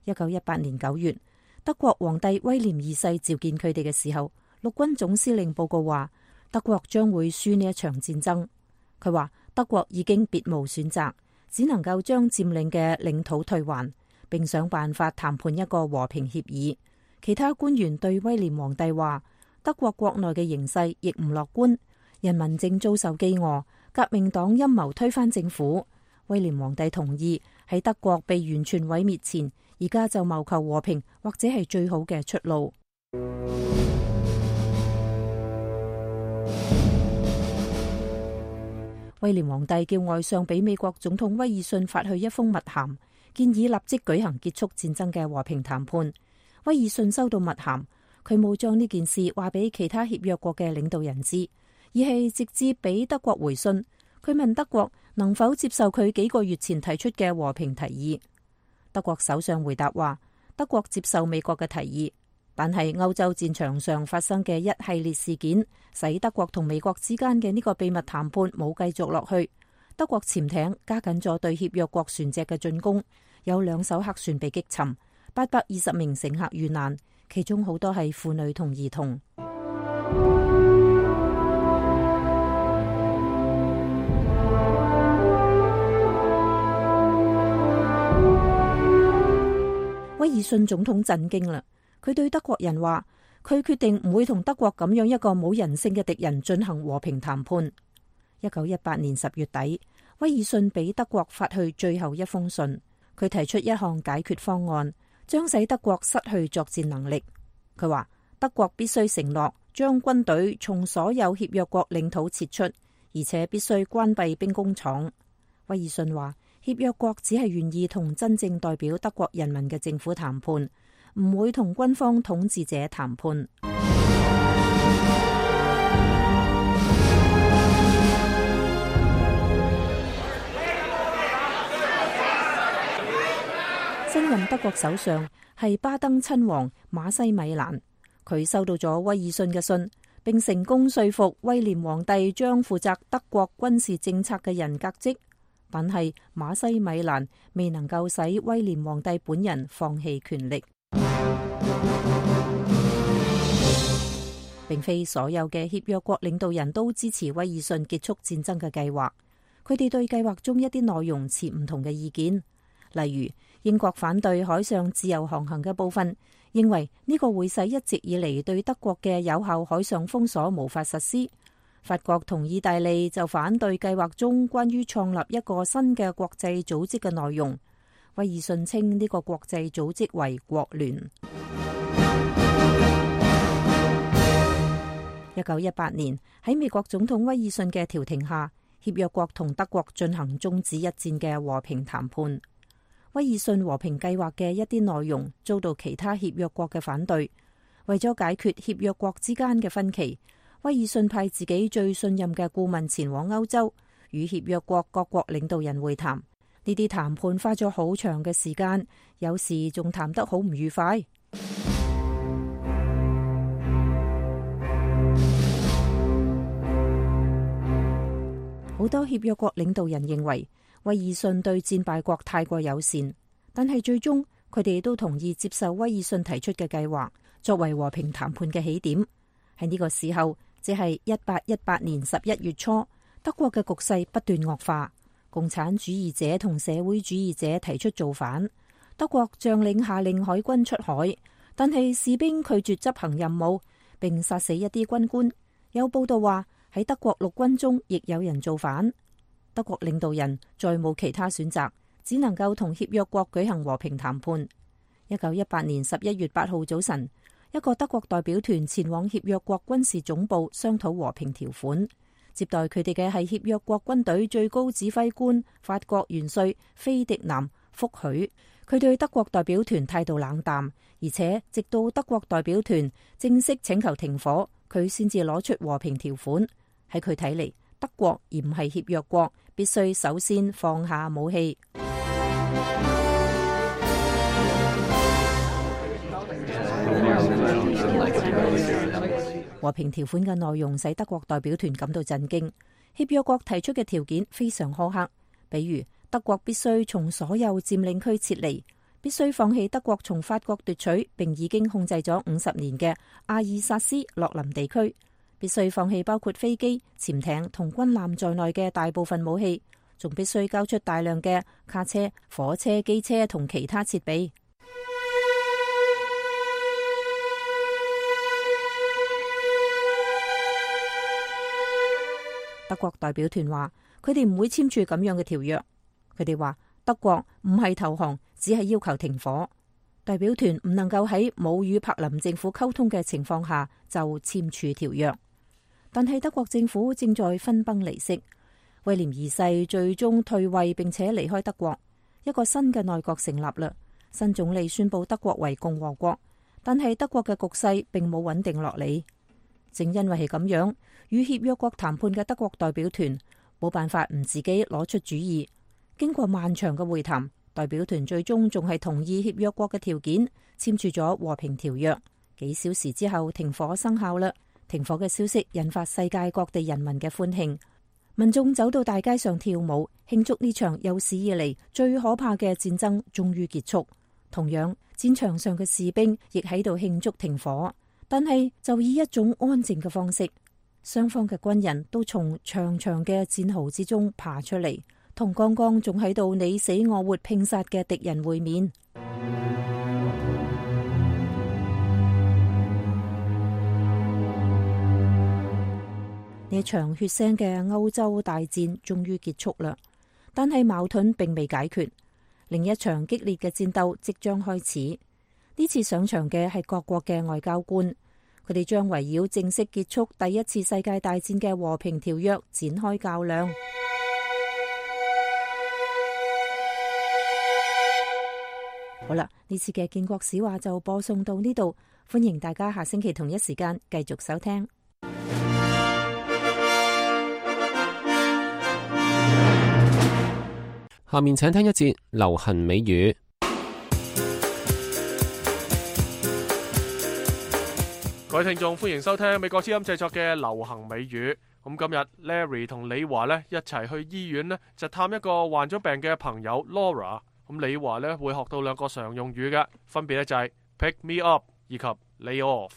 一九一八年九月，德國皇帝威廉二世召見佢哋嘅時候，陸軍總司令報告話德國將會輸呢一場戰爭。佢話德國已經別無選擇，只能夠將佔領嘅領土退還，並想辦法談判一個和平協議。其他官員對威廉皇帝話，德國國內嘅形勢亦唔樂觀，人民正遭受飢餓，革命黨陰謀推翻政府。威廉皇帝同意喺德國被完全毀滅前，而家就謀求和平，或者係最好嘅出路。威廉皇帝叫外相俾美國總統威爾遜發去一封密函，建議立即舉行結束戰爭嘅和平談判。威爾遜收到密函，佢冇將呢件事話俾其他協約國嘅領導人知，而係直接俾德國回信。佢問德國能否接受佢幾個月前提出嘅和平提議。德國首相回答話，德國接受美國嘅提議，但係歐洲戰場上發生嘅一系列事件，使德國同美國之間嘅呢個秘密談判冇繼續落去。德國潛艇加緊咗對協約國船隻嘅進攻，有兩艘黑船被擊沉，八百二十名乘客遇難，其中好多係婦女同兒童。威爾遜總統震驚啦，佢對德國人話，佢決定唔會同德國咁樣一個冇人性嘅敵人進行和平談判。一九一八年十月底，威爾遜俾德國發去最後一封信，佢提出一項解決方案，將使德國失去作戰能力。佢話德國必須承諾將軍隊從所有協約國領土撤出，而且必須關閉兵工廠。威爾遜話，協約國只係願意同真正代表德國人民嘅政府談判，唔會同軍方統治者談判。新任德國首相係巴登親王馬西米蘭，佢收到咗威爾遜嘅信，並成功說服威廉皇帝將負責德國軍事政策嘅人革職。但係馬西米蘭未能夠使威廉皇帝本人放棄權力。並非所有嘅協約國領導人都支持威爾遜結束戰爭嘅計劃，佢哋對計劃中一啲內容持唔同嘅意見。例如，英國反對海上自由航行嘅部分，認為呢個會使一直以嚟對德國嘅有效海上封鎖無法實施。法國同意大利就反對計劃中關於創立一個新嘅國際組織嘅內容。威爾遜稱呢個國際組織為國聯。一九一八年喺美國總統威爾遜嘅調停下，協約國同德國進行終止一戰嘅和平談判。威爾遜和平計劃嘅一啲內容遭到其他協約國嘅反對。為咗解決協約國之間嘅分歧，威爾遜派自己最信任嘅顧問前往歐洲，與協約國各國領導人會談。呢啲談判花咗好長嘅時間，有時仲談得好唔愉快。好多協約國領導人認為威爾遜對戰敗國太過友善，但係最終佢哋都同意接受威爾遜提出嘅計劃，作為和平談判嘅起點。喺呢個時候，即係一八一八年十一月初，德國嘅局勢不斷惡化，共產主義者同社會主義者提出造反，德國將領下令海軍出海，但係士兵拒絕執行任務，並殺死一啲軍官。有報道話喺德國陸軍中亦有人造反，德國領導人再冇其他選擇，只能夠同協約國舉行和平談判。一九一八年十一月八號早晨，一個德國代表團前往協約國軍事總部商討和平條款，接待佢哋嘅係協約國軍隊最高指揮官法國元帥菲迪南福許。佢對德國代表團態度冷淡，而且直到德國代表團正式請求停火，佢先至攞出和平條款。喺佢睇嚟，德國而唔係協約國，必須首先放下武器。和平條款嘅內容使德國代表團感到震驚。協約國提出嘅條件非常苛刻，比如德國必須從所有佔領區撤離，必須放棄德國從法國奪取並已經控制咗五十年嘅阿爾薩斯洛林地區，必須放棄包括飛機、潛艇同軍艦在內嘅大部分武器，仲必須交出大量嘅卡車、火車、機車同其他設備。德國代表團話佢哋唔會簽署咁樣嘅條約。佢哋話德國唔係投降，只係要求停火。代表團唔能夠喺冇與柏林政府溝通嘅情況下就簽署條約。但係德國政府正在分崩離析，威廉二世最終退位並且離開德國，一個新嘅內閣成立啦。新總理宣布德國為共和國，但係德國嘅局勢並冇穩定落嚟。正因為係咁樣，與協約國談判嘅德國代表團冇辦法唔自己攞出主意。經過漫長嘅會談，代表團最終仲係同意協約國嘅條件，簽署咗和平條約。幾小時之後，停火生效啦。停火嘅消息引發世界各地人民嘅歡慶，民眾走到大街上跳舞，慶祝呢場有史以嚟最可怕嘅戰爭終於結束。同樣，戰場上嘅士兵亦喺度慶祝停火，但係就以一種安靜嘅方式。雙方嘅軍人都從長長嘅戰壕之中爬出嚟，同剛剛仲喺度你死我活拼殺嘅敵人會面。呢場血腥嘅歐洲大戰終於結束啦，但係矛盾並未解決，另一場激烈嘅戰鬥即將開始。呢次上場嘅係各國嘅外交官，佢哋將圍繞正式結束第一次世界大戰嘅和平條約展開較量。好啦，呢次嘅建國史話就播送到呢度，歡迎大家下星期同一時間繼續收聽。下面請聽一節流行美語。各位聽眾，歡迎收聽美國之音製作嘅流行美語。咁今日 Larry 同李華呢一齊去醫院呢，就探一個患咗病嘅朋友 Laura。咁李華呢會學到兩個常用語嘅，分別咧就係 pick me up 以及 lay off。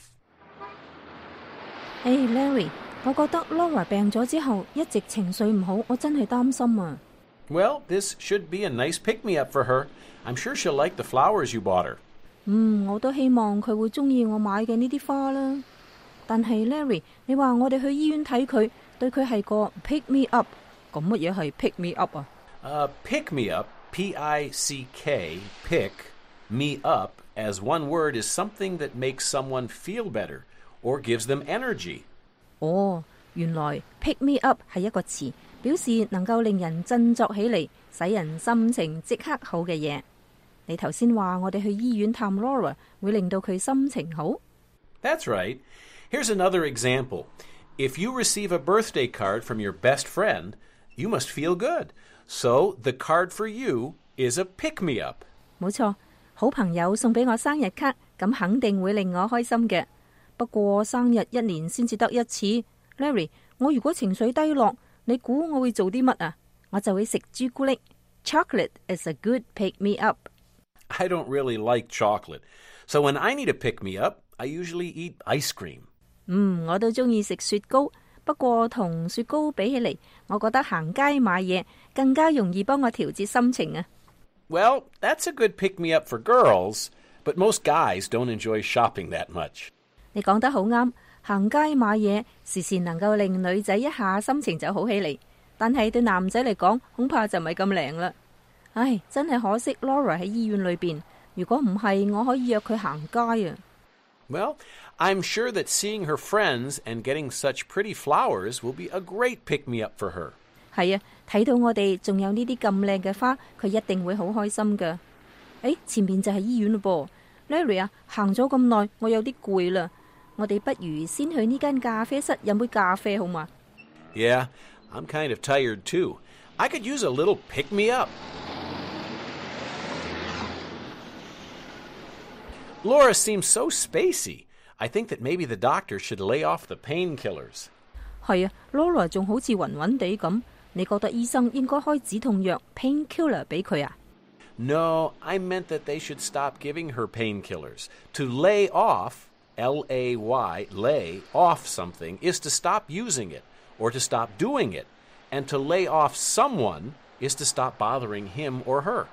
誒、hey, Larry， 我覺得 Laura 病咗之後一直情緒唔好，我真係擔心啊。Well, this should be a nice pick-me-up for her. I'm sure she'll like the flowers you bought her. 嗯，我都希望佢會中意我買嘅呢啲花啦。但係 Larry， 你話我哋去醫院睇佢，對佢係個 pick me up， 咁乜嘢係 pick me up 啊？Uh, pick me up, P I C K, pick me up, as one word is something that makes someone feel better or gives them energy. 哦，原來 pick me up 係一個詞，表示能夠令人振作起嚟，使人心情即刻好嘅嘢。你頭先話我哋去醫院探 Laura 會令到佢心情好？ That's right. Here's another example. If you receive a birthday card from your best friend, you must feel good. So the card for you is a pick-me-up. 冇錯，好朋友送俾我生日卡，咁肯定會令我開心嘅。不過生日一年先至得一次。Larry， 我如果情緒低落，你估我會做啲乜啊？我就會食朱古力。Chocolate is a good pick-me-up. I don't really like chocolate. So when I need a pick-me-up, I usually eat ice cream. 嗯，我都中意食雪糕，不過同雪糕比起嚟，我覺得行街買嘢更加容易幫我調節心情啊。Well, that's a good pick-me-up for girls, but most guys don't enjoy shopping that much. 你講得好啱，行街買嘢時時能夠令女仔一下心情就好起嚟，但係對男仔嚟講，恐怕就唔係咁靈啦。唉，真係可惜 Laura 喺醫院裏邊，如果唔係，我可以約佢行街啊。Well, I'm sure that seeing her friends and getting such pretty flowers will be a great pick-me-up for her. 係啊，睇到我哋仲有呢啲咁靚嘅花，佢一定會好開心噶。誒，前面就係醫院咯噃 ，Larry 啊，行咗咁耐，我有啲攰啦，我哋不如先去呢間咖啡室飲杯咖啡好嘛？ Yeah, I'm kind of tired too. I could use a little pick-me-up. Laura seems so spacey. I think that maybe the doctor should lay off the painkillers. 係啊 ，Laura 仲好似暈暈地咁，你覺得醫生應該開止痛藥 painkiller 俾佢啊？ No, I meant that they should stop giving her painkillers. To lay off, L A Y, lay off something, is to stop using it or to stop doing it. And to lay off someone is to stop bothering him or her.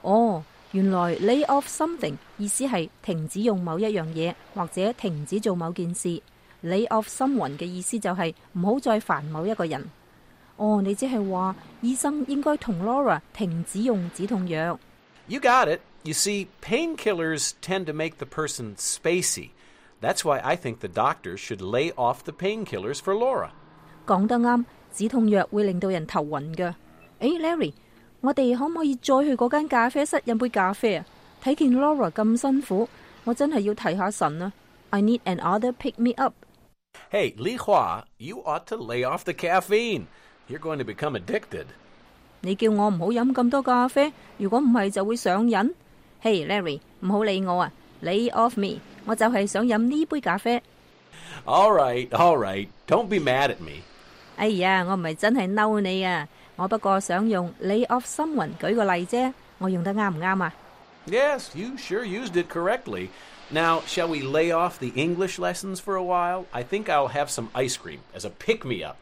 哦。原來 lay off something 意思係停止用某一樣嘢，或者停止做某件事。lay off someone 嘅意思就係唔好再煩某一個人。哦，你即係話醫生應該同 Laura 停止用止痛藥。You got it. You see, painkillers tend to make the person spacey. That's why I think the doctor should lay off the painkillers for Laura. 講得啱，止痛藥會令到人頭暈㗎。誒 ，Larry。我哋可唔可以再去嗰間咖啡室飲杯咖啡啊？睇見 Laura 咁辛苦，我真係要提下神啊 I need another pick me up. Hey, Li Hua, you ought to lay off the caffeine. You're going to become addicted. 你叫我唔好飲咁多咖啡，如果唔係就會上癮。Hey Larry，唔好理我啊 ，lay off me， 我就係想飲呢杯咖啡。All right, all right, don't be mad at me. 哎呀，我唔係真係嬲你啊！我不過想用 lay off someone 舉個例啫，我用得啱唔啱啊？ Yes, you sure used it correctly. Now, shall we lay off the English lessons for a while? I think I'll have some ice cream as a pick-me-up.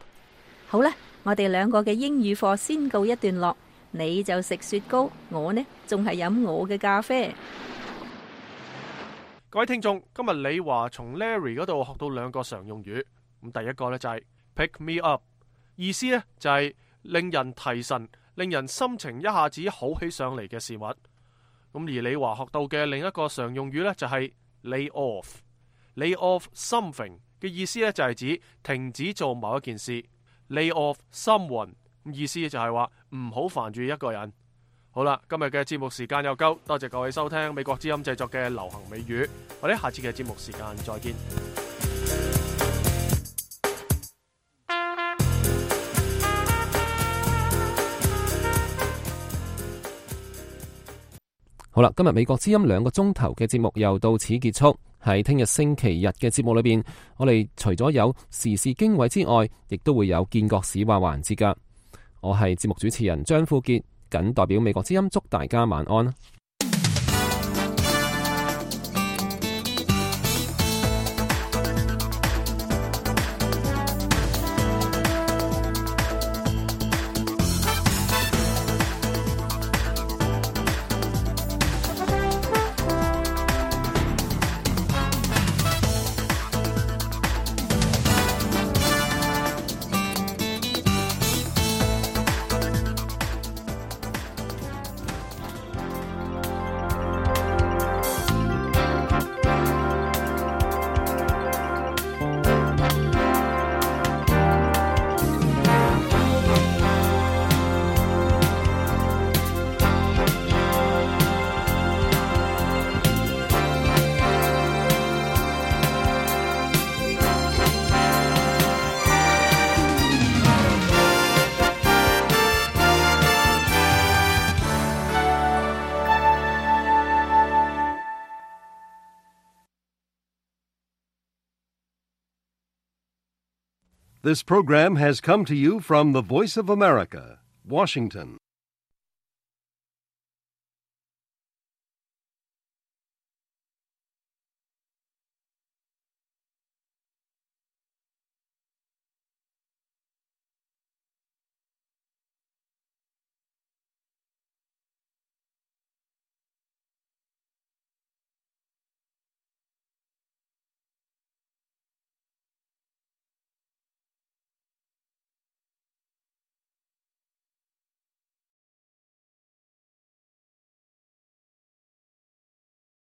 好啦，我哋兩個嘅英語課先告一段落，你就食雪糕，我呢仲係飲我嘅咖啡。各位聽眾，今日李華從 Larry 嗰度學到兩個常用語，咁第一個呢就係 pick me up， 意思呢就係令人提神，令人心情一下子好起上嚟嘅事物。咁而李華學到嘅另一個常用語呢，就係 lay off。lay off something 嘅意思呢，就係指停止做某一件事。lay off someone 意思就係話唔好煩住一個人。好啦，今日嘅節目時間又夠，多謝各位收聽美國之音製作嘅流行美語，我哋下次嘅節目時間再見。好啦，今日美國之音兩個鐘頭嘅節目又到此結束。喺聽日星期日嘅節目裏邊，我哋除咗有時事經緯之外，亦都會有見國史話環節噶。我係節目主持人張富傑，謹代表美國之音祝大家晚安。This program has come to you from the Voice of America, Washington.